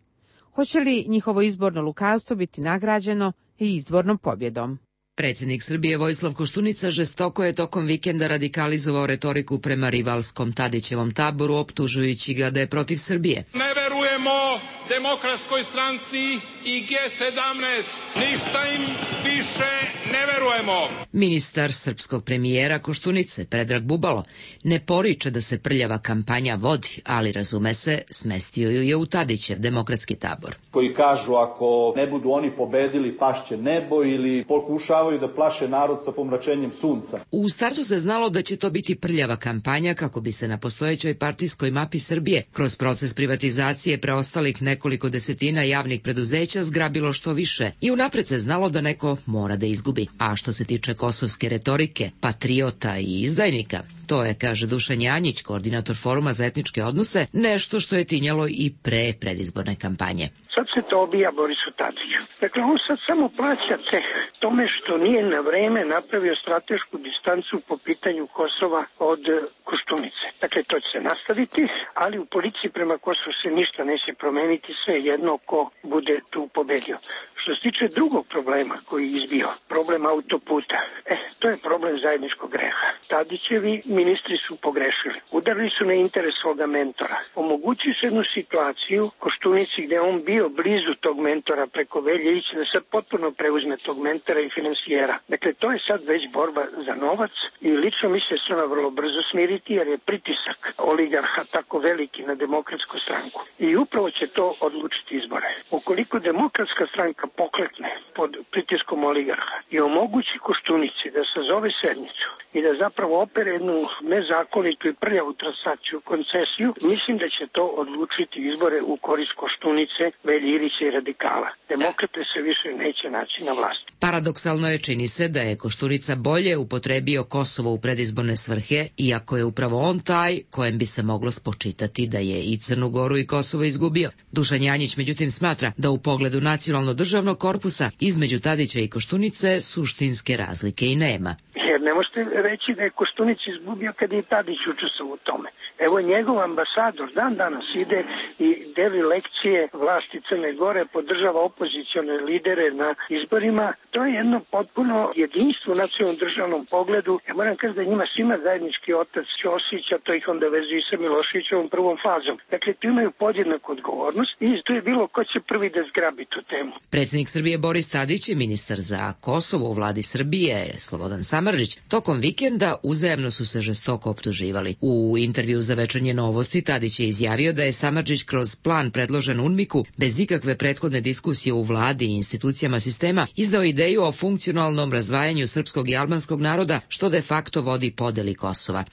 Hoće li njihovo izborno lukavstvo biti nagrađeno i izbornom pobjedom? Predsjednik Srbije Vojislav Koštunica žestoko je tokom vikenda radikalizovao retoriku prema rivalskom Tadićevom taboru, optužujući ga da je protiv Srbije. Ne verujemo Demokratskoj stranci i G sedamnaest, ništa im više ne verujemo. Ministar srpskog premijera Koštunice, Predrag Bubalo, ne poriče da se prljava kampanja vodi, ali razume se, smestio ju je u Tadićev demokratski tabor. Koji kažu ako ne budu oni pobedili pašće nebo ili pokušavaju da plaše narod sa pomračenjem sunca. U startu se znalo da će to biti prljava kampanja kako bi se na postojećoj partijskoj mapi Srbije kroz proces privatizacije preostalih nekoliko desetina javnih preduzeća zgrabilo što više i unapred se znalo da neko mora da izgubi. A što se tiče kosovske retorike, patriota i izdajnika, to je, kaže Dušan Janjić, koordinator Foruma za etničke odnose, nešto što je tinjalo i pre predizborne kampanje. Sad se to obija Borisu Tadiću. Dakle, on sad samo plaća ceh tome što nije na vreme napravio stratešku distancu po pitanju Kosova od Koštunice. Dakle, to će se nastaviti, ali u policiji prema Kosovu se ništa neće promeniti, sve jedno ko bude tu pobedio. Što se tiče drugog problema koji je izbio, problem autoputa, e, to je problem zajedničkog greha. Tadićevi ministri su pogrešili. Udarili su na interes svoga mentora. Omogućili su jednu situaciju Koštunici gde on bio blizu tog mentora preko Veljevića da sad potpuno preuzme tog mentora i finansijera. Dakle, to je sad već borba za novac i lično misle se ona vrlo brzo smiriti jer je pritisak oligarha tako veliki na Demokratsku stranku. I upravo će to odlučiti izbore. Ukoliko Demokratska stranka poklekne pod pritiskom oligarha i omogući Koštunici da sazove sednicu i da zapravo opere jednu nezakonitu i prljavu transakciju, koncesiju, mislim da će to odlučiti izbore u korist Koštunice, Veljirića i radikala. Demokrate se više neće naći na vlasti. Paradoksalno je, čini se, da je Koštunica bolje upotrebio Kosovo u predizborne svrhe, iako je upravo on taj kojem bi se moglo spočitati da je i Crnu Goru i Kosovo izgubio. Dušan Janjić, međutim, smatra da u pogledu nacionalno-državnog korpusa između Tadića i Koštunice suštinske razlike i nema. Jer Ne možete reći da je Koštunica izgubio kad je Tadić učestvovao u tome. Evo njegov ambasador dan danas ide i deli lekcije vlasti Crne Gore, podržava opozicione lidere na izborima. To je jedno potpuno jedinstvo u nacionalnom državnom pogledu. Ja moram kaži da njima svima zajednički otac Ćosić, a to ih onda vezi i sa Miloševićevom prvom fazom. Dakle, tu imaju podjednaku odgovornost i tu je bilo ko će prvi da zgrabi tu temu. Predsjednik Srbije Boris Tadić i ministar za Kosovo u vladi Srbije Slobodan Samardžić tokom vikenda uzajamno su se žestoko optuživali. U intervju za Večernje novosti Tadić je izjavio da je Samardžić kroz plan predložen UNMIK-u bez ikakve prethodne diskusije u vladi i institucijama sistema izdao ideju o funkcionalnom razdvajanju srpskog i albanskog naroda, što de facto vodi podeli Kosova.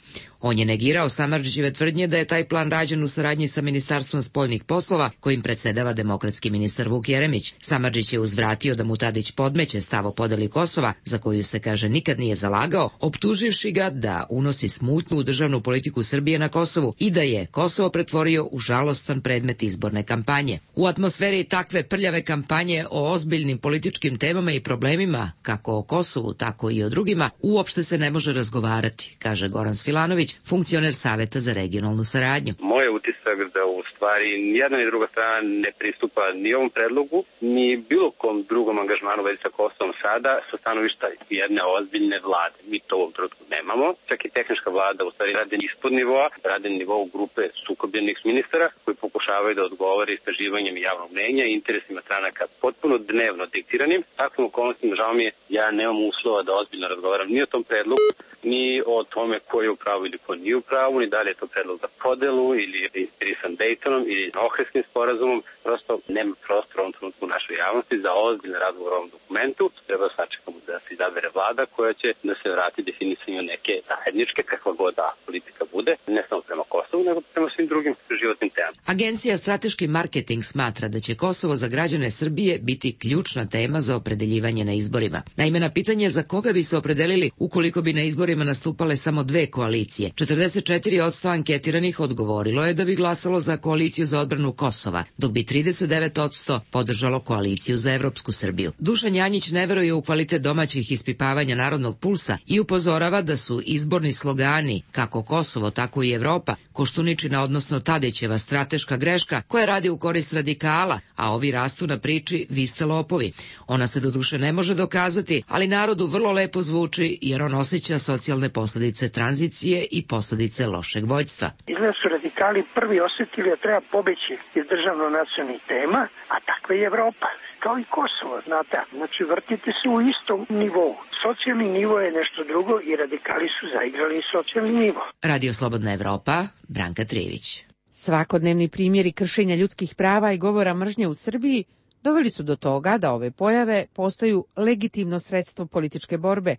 On je negirao Samardžićeve tvrdnje da je taj plan rađen u saradnji sa Ministarstvom spoljnih poslova, kojim predsedava demokratski ministar Vuk Jeremić. Samardžić je uzvratio da mu Tadić podmeće stav o podeli Kosova, za koju se, kaže, nikad nije zalagao, optuživši ga da unosi smutnju u državnu politiku Srbije na Kosovu i da je Kosovo pretvorio u žalostan predmet izborne kampanje. U atmosferi takve prljave kampanje o ozbiljnim političkim temama i problemima, kako o Kosovu, tako i o drugima, uopšte se ne može razgovarati, kaže Goran Svilanović, funkcioner Saveta za regionalnu saradnju. Moj je utisak da u stvari ni jedna ni druga strana ne pristupa ni ovom predlogu, ni bilo kom drugom angažmanu vezi sa Kosovom sada sa stanovišta jedne ozbiljne vlade. Mi to u ovom trenutku nemamo. Čak i tehnička vlada u stvari radi ispod nivoa, radi na nivou grupe sukobljenih ministara koji pokušavaju da odgovore istraživanjem javnog mnenja i interesima stranaka potpuno dnevno diktiranim. Takvim okolnostima, žao mi je, ja nemam uslova da ozbiljno razgovaram ni o tom predlogu, ni o tome ko je u pravu ili ko nije u pravu, ni da li je to predlog za podelu ili je inspirisan Daytonom ili Ohridskim sporazumom. Prosto nema prostora u ovom trenutku u našoj javnosti za ozbiljne razgovor o ovom dokumentu. Treba sačekamo da se izabere vlada koja će da se vrati definisanju neke zajedničke, kakva god da politika bude, ne samo prema Kosovu, nego prema svim drugim životnim temama. Agencija Strateški marketing smatra da će Kosovo za građane Srbije biti ključna tema za opredeljivanje na izborima. Naime, na pitanje za koga bi se opredelili ukoliko bi na izborima nastupale samo dve koalicije, četrdeset četiri posto anketiranih odgovorilo je da bi glasalo za koaliciju za odbranu Kosova, dok bi trideset devet posto podržalo koaliciju za evropsku Srbiju. Dušan Janjić ne veruje u kvalitet domaćih ispipavanja narodnog pulsa i upozorava da su izborni slogani, kako Kosovo, tako i Evropa, Koštuničina, odnosno Tadićeva strateška greška koja radi u korist radikala, a ovi rastu na priči vi ste lopovi. Ona se doduše ne može dokazati, ali narodu vrlo lepo zvuči jer on osjeća socijalne posljedice tranzicije i posljedice lošeg vođstva. Izgleda su radikali prvi osjetili da treba pobeći iz državno-nacionalnih tema, a takva je Evropa. Kao i Kosovo, znate. Znači, vrtite se u istom nivou. Socijalni nivo je nešto drugo i radikali su zaigrali socijalni nivo. Radio Slobodna Evropa, Branka Trijević. Svakodnevni primjeri kršenja ljudskih prava i govora mržnje u Srbiji doveli su do toga da ove pojave postaju legitimno sredstvo političke borbe,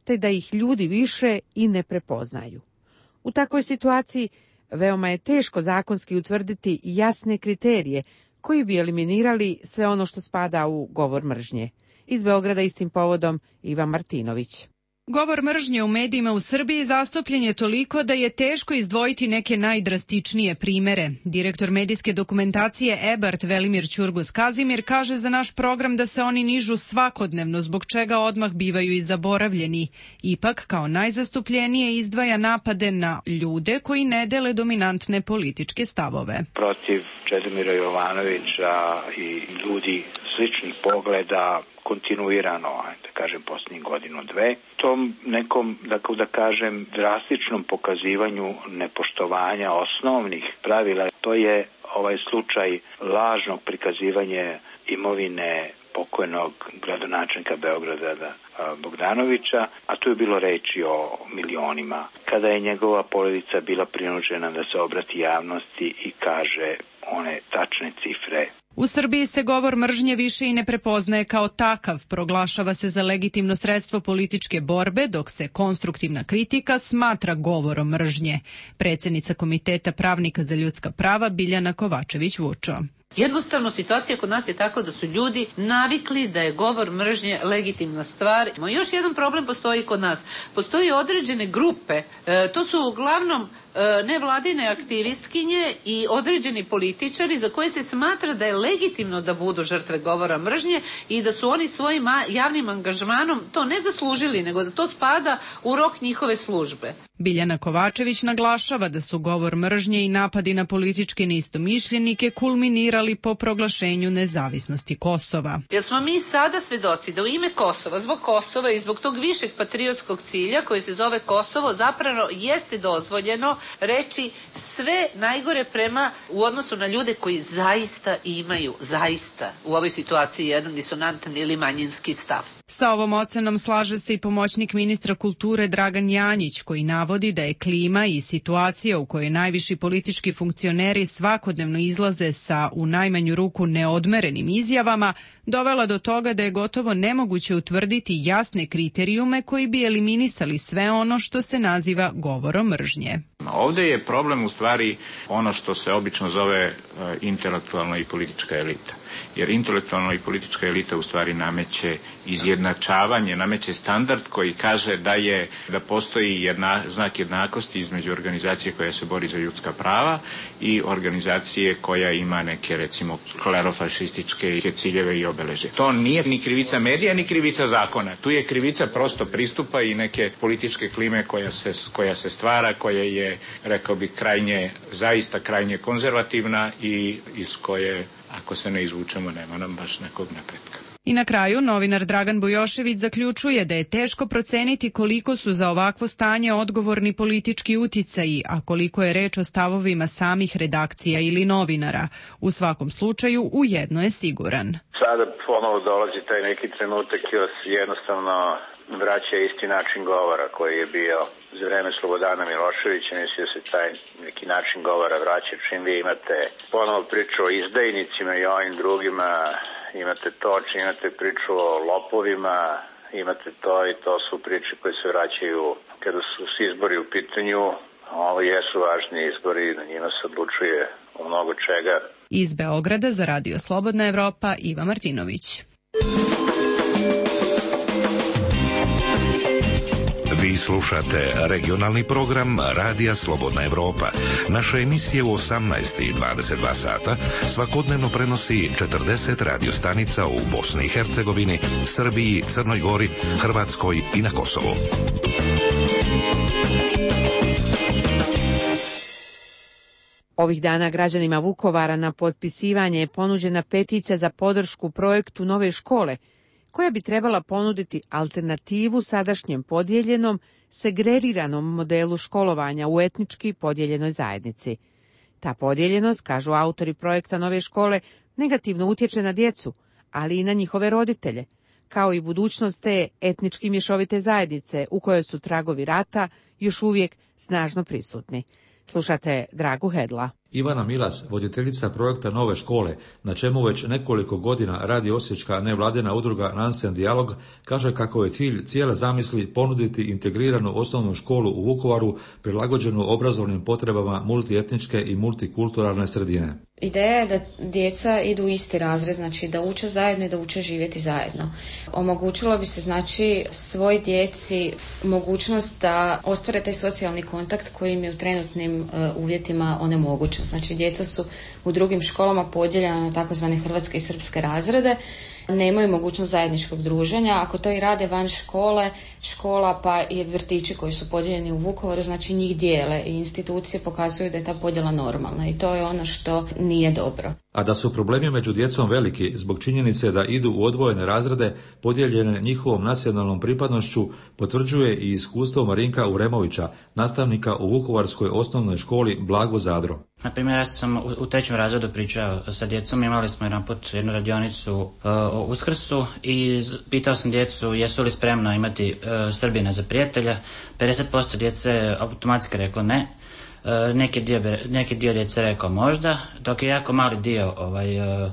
te da ih ljudi više i ne prepoznaju. U takvoj situaciji veoma je teško zakonski utvrditi jasne kriterije koji bi eliminirali sve ono što spada u govor mržnje. Iz Beograda istim povodom Ivan Martinović. Govor mržnje u medijima u Srbiji zastupljen je toliko da je teško izdvojiti neke najdrastičnije primere. Direktor medijske dokumentacije E B A R T Velimir Ćurgus Kazimir kaže za naš program da se oni nižu svakodnevno, zbog čega odmah bivaju i zaboravljeni. Ipak, kao najzastupljenije izdvaja napade na ljude koji ne dele dominantne političke stavove. Protiv Čedomira Jovanovića i ljudi sličnih pogleda kontinuirano, da kažem, posljednjih godinu, dve. Tom nekom, dakle, da kažem, drastičnom pokazivanju nepoštovanja osnovnih pravila, to je ovaj slučaj lažnog prikazivanja imovine pokojnog gradonačelnika Beograda Bogdanovića, a tu je bilo reči o milionima. Kada je njegova porodica bila prinuđena da se obrati javnosti i kaže one tačne cifre. U Srbiji se govor mržnje više i ne prepoznaje kao takav, proglašava se za legitimno sredstvo političke borbe, dok se konstruktivna kritika smatra govorom mržnje. Predsjednica Komiteta pravnika za ljudska prava Biljana Kovačević-Vučo. Jednostavno, situacija kod nas je tako da su ljudi navikli da je govor mržnje legitimna stvar. Još jedan problem postoji kod nas. Postoji određene grupe, e, to su uglavnom nevladine aktivistkinje i određeni političari za koje se smatra da je legitimno da budu žrtve govora mržnje i da su oni svojim javnim angažmanom to ne zaslužili, nego da to spada u rok njihove službe. Biljana Kovačević naglašava da su govor mržnje i napadi na političke neistomišljenike kulminirali po proglašenju nezavisnosti Kosova. Jer smo mi sada svedoci da u ime Kosova, zbog Kosova i zbog tog višeg patriotskog cilja koji se zove Kosovo, zapravo jeste dozvoljeno reći sve najgore prema u odnosu na ljude koji zaista imaju, zaista u ovoj situaciji jedan disonantan ili manjinski stav. Sa ovom ocenom slaže se i pomoćnik ministra kulture Dragan Janjić, koji navodi da je klima i situacija u kojoj najviši politički funkcioneri svakodnevno izlaze sa u najmanju ruku neodmerenim izjavama dovela do toga da je gotovo nemoguće utvrditi jasne kriterijume koji bi eliminisali sve ono što se naziva govorom mržnje. Ovdje je problem u stvari ono što se obično zove intelektualna i politička elita. Jer intelektualna i politička elita u stvari nameće izjednačavanje, nameće standard koji kaže da je da postoji jedna, znak jednakosti između organizacije koja se bori za ljudska prava i organizacije koja ima neke, recimo, klerofašističke ciljeve i obeležje. To nije ni krivica medija, ni krivica zakona. Tu je krivica prosto pristupa i neke političke klime koja se, koja se stvara, koja je, rekao bih, krajnje, zaista krajnje konzervativna i iz koje, ako se ne izvučemo, nema nam baš nekog napretka. I na kraju, novinar Dragan Bujošević zaključuje da je teško proceniti koliko su za ovakvo stanje odgovorni politički uticaji, a koliko je reč o stavovima samih redakcija ili novinara. U svakom slučaju, u jedno je siguran. Sada ponovo dolazi taj neki trenutak i jednostavno vraća isti način govora koji je bio za vreme Slobodana Miloševića. Mislim da se taj neki način govora vraća čim vi imate ponovo priču o izdajnicima i ovim drugima, imate to, čim imate priču o lopovima, imate to i to su priče koje se vraćaju kada su izbori u pitanju. Ovo jesu važni izbori, na njima se odlučuje o mnogo čega. Iz Beograda za Radio Slobodna Evropa, Iva Martinović. Vi slušate regionalni program Radija Slobodna Evropa. Naše emisije u osamnaest i dvadeset dva sata svakodnevno prenosi četrdeset radiostanica u Bosni i Hercegovini, Srbiji, Crnoj Gori, Hrvatskoj i na Kosovu. Ovih dana građanima Vukovara na potpisivanje je ponuđena peticija za podršku projektu nove škole, koja bi trebala ponuditi alternativu sadašnjem podijeljenom, segregiranom modelu školovanja u etnički podijeljenoj zajednici. Ta podijeljenost, kažu autori projekta nove škole, negativno utječe na djecu, ali i na njihove roditelje, kao i budućnost te etnički mješovite zajednice u kojoj su tragovi rata još uvijek snažno prisutni. Slušate Dragu Hedla. Ivana Milas, voditeljica projekta Nove škole, na čemu već nekoliko godina radi osječka nevladina udruga Nansen Dijalog, kaže kako je cilj cijele zamisli ponuditi integriranu osnovnu školu u Vukovaru prilagođenu obrazovnim potrebama multietničke i multikulturalne sredine. Ideja je da djeca idu u isti razred, znači da uče zajedno i da uče živjeti zajedno. Omogućilo bi se znači svoj djeci mogućnost da ostvare taj socijalni kontakt koji im je u trenutnim uh, uvjetima onemogućen. Znači djeca su u drugim školama podijeljena na takozvane hrvatske i srpske razrede, nemaju mogućnost zajedničkog druženja. Ako to i rade van škole, škola pa i vrtići koji su podijeljeni u Vukovaru, znači njih dijele i institucije pokazuju da je ta podjela normalna i to je ono što nije dobro. A da su problemi među djecom veliki zbog činjenice da idu u odvojene razrede podijeljene njihovom nacionalnom pripadnošću, potvrđuje i iskustvo Marinka Uremovića, nastavnika u Vukovarskoj osnovnoj školi Blago Zadro. Na primjer, ja sam u trećem razredu pričao sa djecom, imali smo jedan put jednu radionicu uh, o Uskrsu i pitao sam djecu jesu li spremno imati uh, Srbina za prijatelja. pedeset posto djece automatski reklo ne. Uh, neki, dio, neki dio djece rekao možda, dok je jako mali dio ovaj, uh,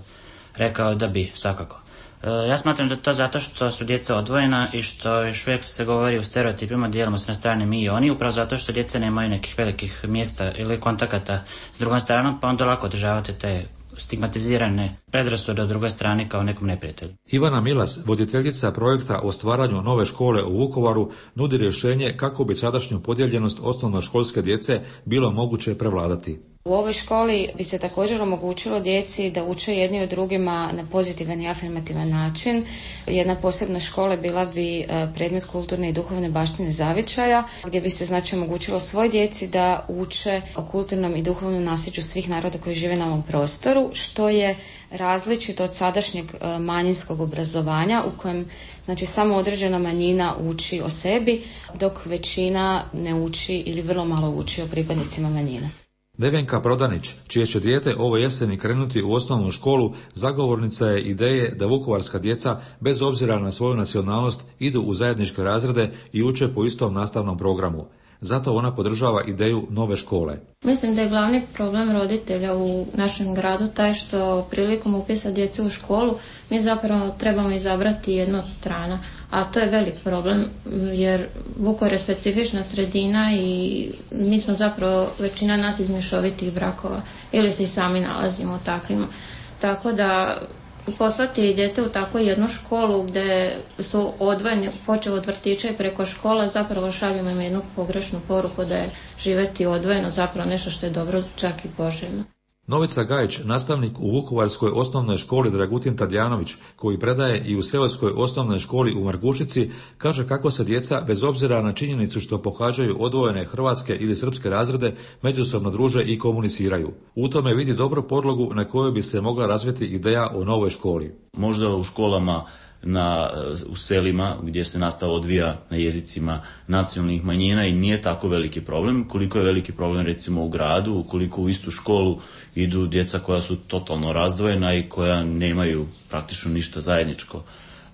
rekao da bi, svakako. Uh, ja smatram da to zato što su djeca odvojena i što još uvijek se govori u stereotipima, dijelimo se na strane mi i oni, upravo zato što djeca nemaju nekih velikih mjesta ili kontakata s drugom stranom, pa onda lako održavate te stigmatizirane predrasude od druge strane kao nekom neprijatelju. Ivana Milas, voditeljica projekta o stvaranju nove škole u Vukovaru, nudi rješenje kako bi sadašnju podijeljenost osnovnoškolske djece bilo moguće prevladati. U ovoj školi bi se također omogućilo djeci da uče jedni od drugima na pozitivan i afirmativan način. Jedna posebna škola bila bi predmet kulturne i duhovne baštine zavičaja, gdje bi se znači omogućilo svoj djeci da uče o kulturnom i duhovnom nasljeđu svih naroda koji žive na ovom prostoru, što je različito od sadašnjeg manjinskog obrazovanja u kojem znači samo određena manjina uči o sebi, dok većina ne uči ili vrlo malo uči o pripadnicima manjina. Nevenka Prodanić, čije će dijete ove jeseni krenuti u osnovnu školu, zagovornica je ideje da vukovarska djeca, bez obzira na svoju nacionalnost, idu u zajedničke razrede i uče po istom nastavnom programu. Zato ona podržava ideju nove škole. Mislim da je glavni problem roditelja u našem gradu taj što prilikom upisa djece u školu mi zapravo trebamo izabrati jednu od strana, a to je velik problem jer Vukovar je specifična sredina i mi smo zapravo većina nas iz mješovitih brakova ili se i sami nalazimo u takvima. Tako da poslati dijete u takvu jednu školu gdje su odvojeni, počeo od vrtića i preko škola, zapravo šaljemo im jednu pogrešnu poruku da je živjeti odvojeno zapravo nešto što je dobro, čak i poželjno. Novica Gajić, nastavnik u Vukovarskoj osnovnoj školi Dragutin Tadjanović, koji predaje i u seoskoj osnovnoj školi u Margušici, kaže kako se djeca, bez obzira na činjenicu što pohađaju odvojene hrvatske ili srpske razrede, međusobno druže i komuniciraju. U tome vidi dobru podlogu na kojoj bi se mogla razviti ideja o novoj školi. Možda u školama na, u selima gdje se nastava odvija na jezicima nacionalnih manjina i nije tako veliki problem, koliko je veliki problem recimo u gradu, ukoliko u istu školu idu djeca koja su totalno razdvojena i koja nemaju praktično ništa zajedničko.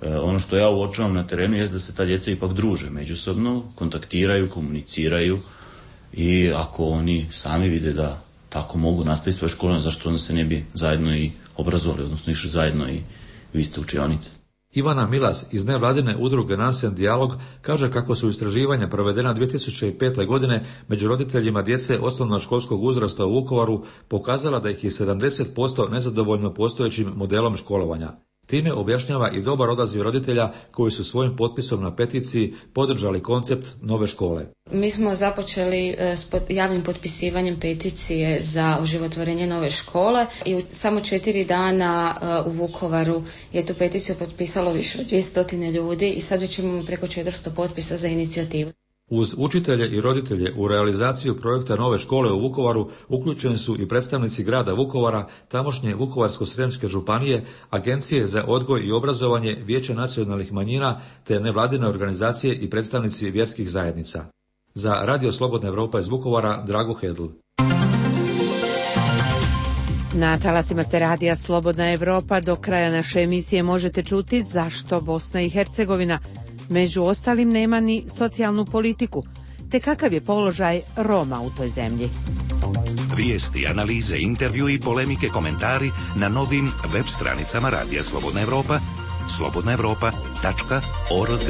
E, ono što ja uočavam na terenu je da se ta djeca ipak druže međusobno, kontaktiraju, komuniciraju i ako oni sami vide da tako mogu nastaviti svoje škole, zašto onda se ne bi zajedno i obrazovali, odnosno išli zajedno i u iste učionice. Ivana Milas iz nevladine udruge Nansen Dijalog kaže kako su istraživanja provedena dvije tisuće pete. godine među roditeljima djece osnovnoškolskog uzrasta u Vukovaru pokazala da ih je sedamdeset posto nezadovoljno postojećim modelom školovanja. Time objašnjava i dobar odaziv roditelja koji su svojim potpisom na peticiji podržali koncept nove škole. Mi smo započeli s javnim potpisivanjem peticije za oživotvorenje nove škole i u samo četiri dana u Vukovaru je tu peticiju potpisalo više od dvjesto ljudi i sad već imamo preko četiristo potpisa za inicijativu. Uz učitelje i roditelje u realizaciju projekta nove škole u Vukovaru uključeni su i predstavnici grada Vukovara, tamošnje Vukovarsko-srijemske županije, Agencije za odgoj i obrazovanje, Vijeće nacionalnih manjina te nevladine organizacije i predstavnici vjerskih zajednica. Za Radio Slobodna Evropa iz Vukovara, Drago Hedl. Na talasima ste Radija Slobodna Evropa. Do kraja naše emisije možete čuti zašto Bosna i Hercegovina među ostalim nema ni socijalnu politiku, te kakav je položaj Roma u toj zemlji. Vijesti, analize, intervju i polemike, komentari na novim web stranicama Radija Slobodna Evropa, slobodna evropa tačka org.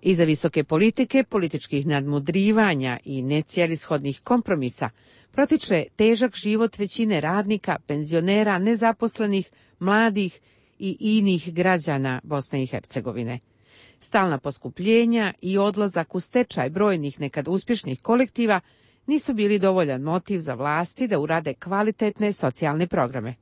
Iza visoke politike, političkih nadmudrivanja i necjelishodnih kompromisa protiče težak život većine radnika, penzionera, nezaposlenih, mladih i inih građana Bosne i Hercegovine. Stalna poskupljenja i odlazak u stečaj brojnih nekad uspješnih kolektiva nisu bili dovoljan motiv za vlasti da urade kvalitetne socijalne programe.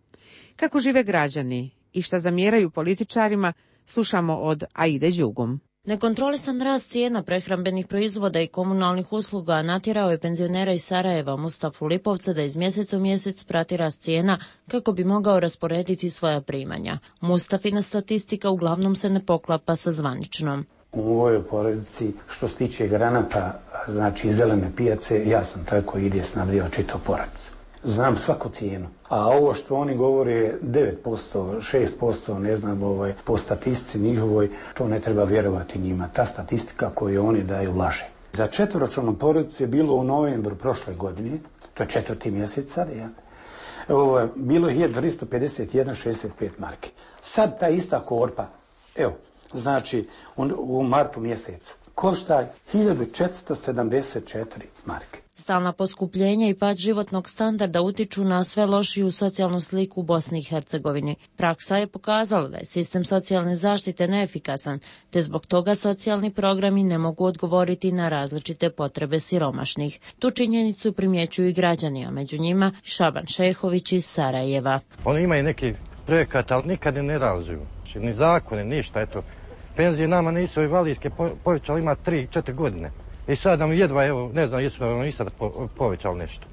Kako žive građani i šta zamjeraju političarima, slušamo od Aide Đugum. Nekontrolisan rast cijena prehrambenih proizvoda i komunalnih usluga natjerao je penzionera iz Sarajeva Mustafu Lipovca da iz mjeseca u mjesec prati rast cijena kako bi mogao rasporediti svoja primanja. Mustafina statistika uglavnom se ne poklapa sa zvaničnom. U ovoj porodici što se tiče granata, znači zelene pijace, ja sam tako ide snabdjeva čito porodicu. Znam svaku cijenu. A ovo što oni govore devet posto, šest posto, ne znam, ovaj, po statistici njihovoj, to ne treba vjerovati njima. Ta statistika koju oni daju laže. Za četvoročlanu porodicu je bilo u novembru prošle godine, to je četvrti mjesec sad, ja, ovo, bilo je hiljadu tristo pedeset jedan zarez šezdeset pet marke. Sad ta ista korpa, evo, znači u, u martu mjesecu, košta hiljadu četiristo sedamdeset četiri marke. Stalna poskupljenja i pad životnog standarda utiču na sve lošiju socijalnu sliku u Bosni i Hercegovini. Praksa je pokazala da je sistem socijalne zaštite neefikasan, te zbog toga socijalni programi ne mogu odgovoriti na različite potrebe siromašnih. Tu činjenicu primjećuju i građani, a među njima Šaban Šehović iz Sarajeva. Oni imaju neki projekat, ali nikad ne realizuju. Ni zakone, ništa. Eto, penzije nama nisu invalidske povećali, ima tri četiri godine. I sad nam jedva, evo, ne znam, jesu nam i sad po, povećali nešto.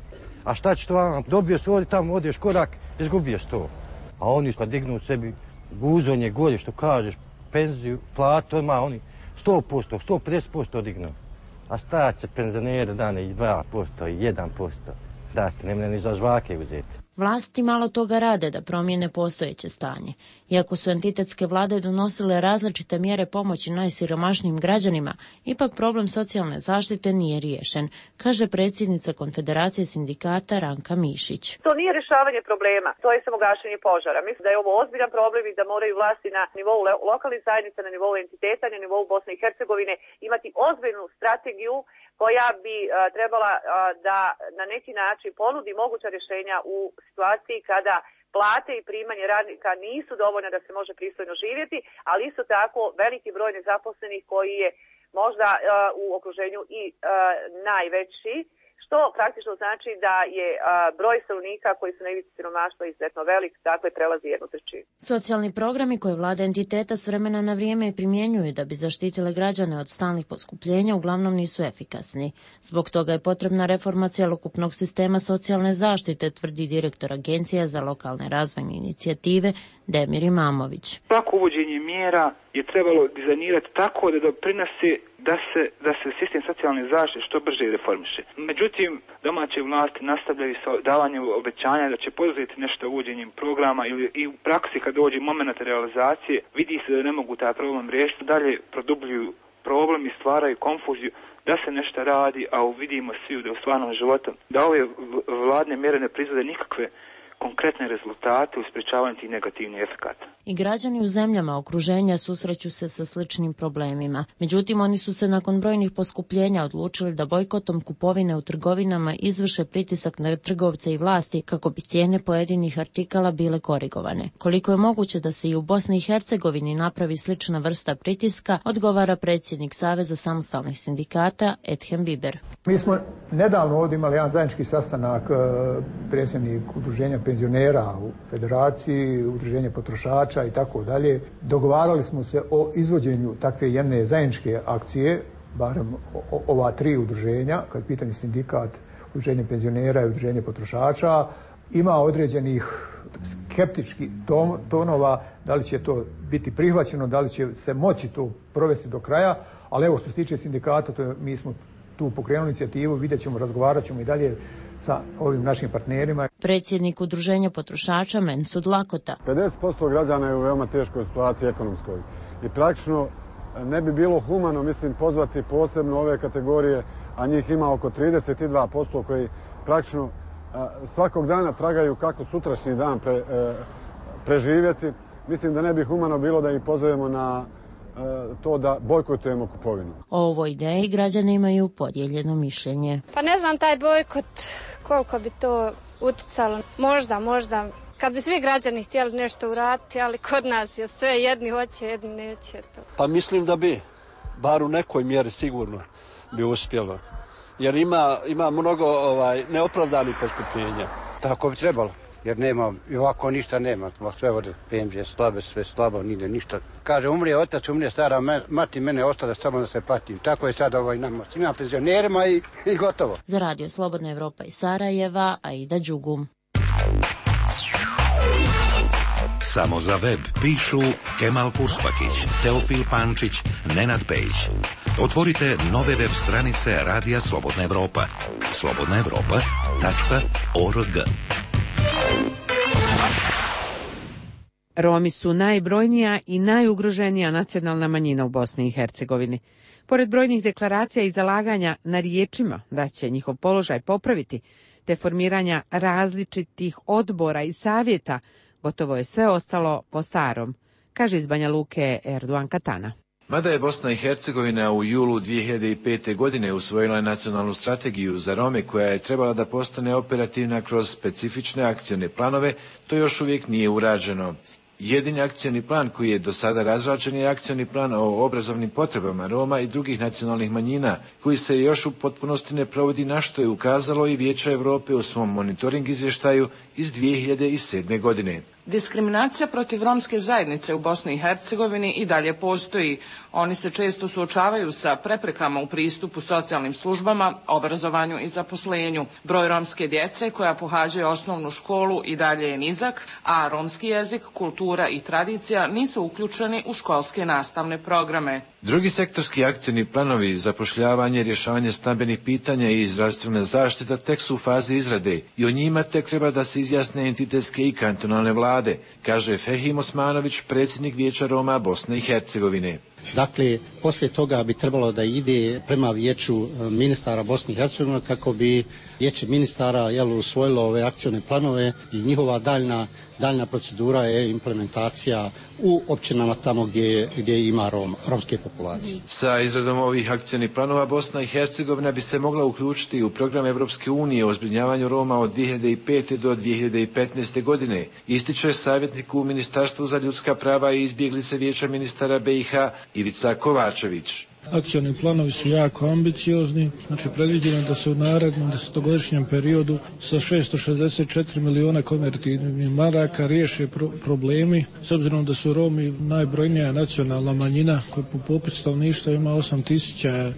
A šta će to vam? Dobio se ovdje, tamo odeš korak, izgubio se to. A oni kad dignu sebi guzonje golje, što kažeš, penziju, platu, ima oni sto posto, sto pedeset posto dignu. A šta će penzionere dane i dva posto i jedan posto? Dati, ne mne ni za žvake uzeti. Vlasti malo toga rade da promijene postojeće stanje. Iako su entitetske vlade donosile različite mjere pomoći najsiromašnijim građanima, ipak problem socijalne zaštite nije riješen, kaže predsjednica Konfederacije sindikata Ranka Mišić. To nije rješavanje problema, to je samo gašenje požara. Mislim da je ovo ozbiljan problem i da moraju vlasti na nivou lokalnih zajednica, na nivou entiteta, na nivou Bosne i Hercegovine imati ozbiljnu strategiju koja bi a, trebala a, da na neki način ponudi moguća rješenja u situaciji kada plate i primanje radnika nisu dovoljne da se može pristojno živjeti, ali isto tako veliki broj nezaposlenih koji je možda a, u okruženju i a, najveći, što praktično znači da je a, broj stanovnika koji su na ivici siromaštva izuzetno velik, dakle prelazi jednu trećinu. Socijalni programi koje vlada entiteta s vremena na vrijeme primjenjuju da bi zaštitile građane od stalnih poskupljenja uglavnom nisu efikasni. Zbog toga je potrebna reforma cjelokupnog sistema socijalne zaštite, tvrdi direktor Agencija za lokalne razvojne inicijative Demir Imamović. Svako uvođenje mjera je trebalo dizajnirati tako da doprinose da se, da se sistem socijalne zaštite što brže reformiše. Međutim, domaće vlasti nastavljaju sa davanjem obećanja da će poduzeti nešto uvođenjem programa ili i u praksi kad dođe moment realizacije vidi se da ne mogu taj problem riješiti, dalje produbljuju problem i stvaraju konfuziju da se nešto radi, a vidimo svi da u stvarnom životu da ove vladne mjere ne proizvode nikakve konkretne rezultate u sprečavanju tih negativnih efekata. I građani u zemljama okruženja susreću se sa sličnim problemima. Međutim, oni su se nakon brojnih poskupljenja odlučili da bojkotom kupovine u trgovinama izvrše pritisak na trgovce i vlasti kako bi cijene pojedinih artikala bile korigovane. Koliko je moguće da se i u Bosni i Hercegovini napravi slična vrsta pritiska, odgovara predsjednik Saveza samostalnih sindikata Edhem Biber. Mi smo nedavno ovdje imali jedan zajednički sastanak, predsjednik udruženja penzionera u federaciji, udruženje potrošača i tako dalje. Dogovarali smo se o izvođenju takve jedne zajedničke akcije, barem ova tri udruženja, kad je pitanje sindikat, udruženje penzionera i udruženje potrošača. Ima određenih skeptičkih tonova, da li će to biti prihvaćeno, da li će se moći to provesti do kraja, ali evo što se tiče sindikata, to je, mi smo tu pokrenuli inicijativu, vidjet ćemo, razgovarat ćemo i dalje sa ovim našim partnerima. Predsjednik udruženja potrošača Mensud Lakota. pedeset posto građana je u veoma teškoj situaciji ekonomskoj i praktično ne bi bilo humano, mislim, pozvati posebno ove kategorije, a njih ima oko trideset dva posto koji praktično svakog dana tragaju kako sutrašnji dan pre, preživjeti. Mislim da ne bi humano bilo da ih pozovemo na to da bojkotujemo kupovinu. O ovoj ideji građani imaju podijeljeno mišljenje. Pa ne znam taj bojkot koliko bi to uticalo. Možda, možda kad bi svi građani htjeli nešto uraditi, ali kod nas je sve jedni hoće, jedni neće. To. Pa mislim da bi, bar u nekoj mjeri sigurno bi uspjelo. Jer ima, ima mnogo ovaj, neopravdanih poskupljenja. Tako bi trebalo. Jer nema, i ovako ništa nema, sve ovdje penzije slabe, sve slabo, nide ništa. Kaže, umrije otac, umrije stara mati, mene ostale samo da se patim. Tako je sad ovaj nama, svima penzionerima i, i gotovo. Za radio Slobodna Evropa iz Sarajeva, Aida Đugum. Samo za web pišu Kemal Kurspakić, Teofil Pančić, Nenad Pejić. Otvorite nove web stranice Radija Slobodna Evropa. slobodna evropa tačka org. Romi su najbrojnija i najugroženija nacionalna manjina u Bosni i Hercegovini. Pored brojnih deklaracija i zalaganja na riječima da će njihov položaj popraviti, te formiranja različitih odbora i savjeta, gotovo je sve ostalo po starom, kaže iz Banja Luke Erdogan Katana. Mada je Bosna i Hercegovina u julu dvije hiljade pete. godine usvojila nacionalnu strategiju za Rome koja je trebala da postane operativna kroz specifične akcione planove, to još uvijek nije urađeno. Jedini akcioni plan koji je do sada razrađen je akcioni plan o obrazovnim potrebama Roma i drugih nacionalnih manjina, koji se još u potpunosti ne provodi, na što je ukazalo i Vijeće Europe u svom monitoring izvještaju iz dvije hiljade sedme. godine. Diskriminacija protiv romske zajednice u Bosni i Hercegovini i dalje postoji. Oni se često suočavaju sa preprekama u pristupu socijalnim službama, obrazovanju i zaposlenju. Broj romske djece koja pohađaju osnovnu školu i dalje je nizak, a romski jezik, kultura i tradicija nisu uključeni u školske nastavne programe. Drugi sektorski akcioni planovi, zapošljavanje, rješavanje stambenih pitanja i zdravstvena zaštita tek su u fazi izrade i o njima tek treba da se izjasne entitetske i kantonalne vlade, kaže Fehim Osmanović, predsjednik Vijeća Roma Bosne i Hercegovine. Dakle, poslije toga bi trebalo da ide prema Vijeću ministara Bosne i Hercegovine kako bi Vijeće ministara jel, usvojilo ove akcione planove i njihova daljna, daljna procedura je implementacija u općinama tamo gdje, gdje ima Rom, romske populacije. Sa izradom ovih akcionih planova Bosna i Hercegovina bi se mogla uključiti u program Evropske unije o zbrinjavanju Roma od dvije hiljade pete. do dvije hiljade petnaeste. godine, ističe savjetnik u Ministarstvu za ljudska prava i izbjeglice Vijeća ministara B i H Ivica Kovačević. Akcioni planovi su jako ambiciozni, znači predviđeno da se u narednom desetogodišnjem periodu sa šesto šezdeset četiri miliona konvertibilnih maraka riješe pro- problemi, s obzirom da su Romi najbrojnija nacionalna manjina koja po popisu stanovništva ima osam tisuća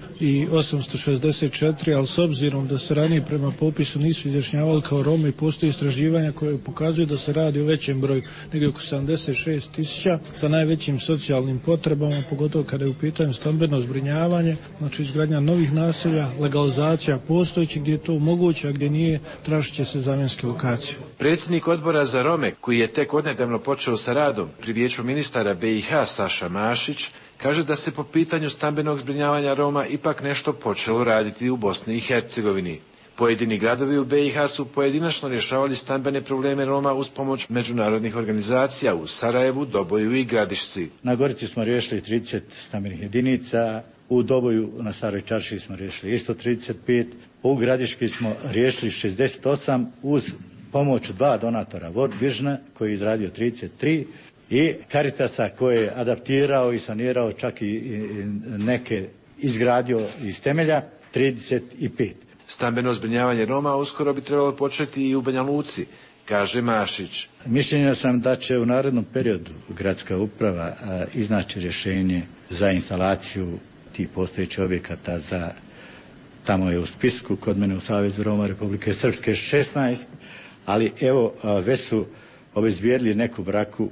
osamsto šezdeset četiri, ali s obzirom da se ranije prema popisu nisu izjašnjavali kao Romi, postoji istraživanja koje pokazuju da se radi o većem broju, negdje oko sedamdeset šest tisuća, sa najvećim socijalnim potrebama, pogotovo kada je u pitanju stambeno zbrinjavanje, znači izgradnja novih naselja, legalizacija postojećih gdje je to moguće, a gdje nije, tražit će se zamjenske lokacije. Predsjednik odbora za Rome, koji je tek odnedavno počeo sa radom pri Vijeću ministara B i H Saša Mašić, kaže da se po pitanju stambenog zbrinjavanja Roma ipak nešto počelo raditi u Bosni i Hercegovini. Pojedini gradovi u B i H su pojedinačno rješavali stambene probleme Roma uz pomoć međunarodnih organizacija u Sarajevu, Doboju i Gradišci. Na Gorici smo riješili trideset stambenih jedinica, u Doboju na Staroj Čaršiji smo riješili isto trideset pet, u Gradiški smo riješili šezdeset osam uz pomoć dva donatora, World Vision koji je izradio trideset tri i Caritasa koji je adaptirao i sanirao, čak i neke izgradio iz temelja, trideset pet. Stambeno zbrinjavanje Roma uskoro bi trebalo početi i u Banja Luci, kaže Mašić. Mišljenja sam da će u narednom periodu gradska uprava a, iznaći rješenje za instalaciju tih postojećih objekata za, tamo je u spisku, kod mene u Savezu Roma Republike Srpske šesnaest, ali evo a, već su obezbijedili neku braku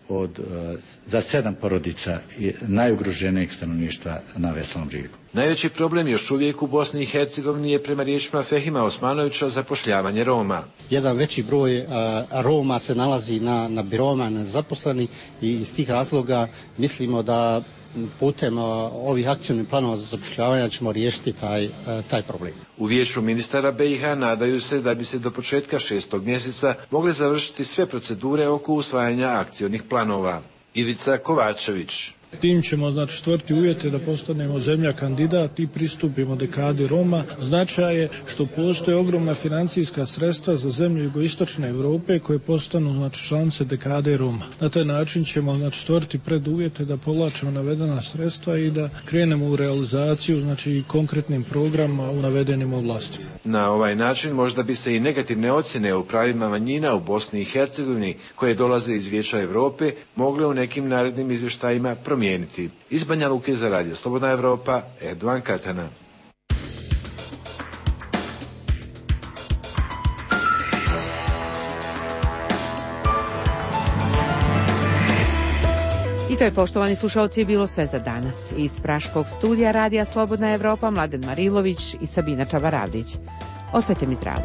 od, a, za sedam porodica najugroženijeg stanovništva na Veselom Brijegu. Najveći problem još uvijek u Bosni i Hercegovini je prema riječima Fehima Osmanovića zapošljavanje Roma. Jedan veći broj a, Roma se nalazi na, na birovima nezaposleni i iz tih razloga mislimo da putem a, ovih akcijnih planova za zapošljavanje ćemo riješiti taj, a, taj problem. U Vijeću ministara B i H nadaju se da bi se do početka šestog mjeseca mogle završiti sve procedure oko usvajanja akcijnih planova. Ivica Kovačević. Tim ćemo znači stvoriti uvjete da postanemo zemlja kandidat i pristupimo dekadi Roma. Značaj je što postoje ogromna financijska sredstva za zemlje jugoistočne Europe koje postanu znači članice dekade Roma. Na taj način ćemo znači stvoriti preduvjete da povlačimo navedena sredstva i da krenemo u realizaciju znači konkretnim programima u navedenim oblastima. Na ovaj način možda bi se i negativne ocjene o pravima manjina u Bosni i Hercegovini koje dolaze iz Vijeća Europe mogle u nekim narednim izvještajima promijeniti. Iz Banja Luke za Radio Slobodna Evropa, Erdovan Katana. I to je, poštovani slušalci, bilo sve za danas. Iz Praškog studija Radija Slobodna Evropa, Mladen Marilović i Sabina Čavaravdić. Ostajte mi zdravo.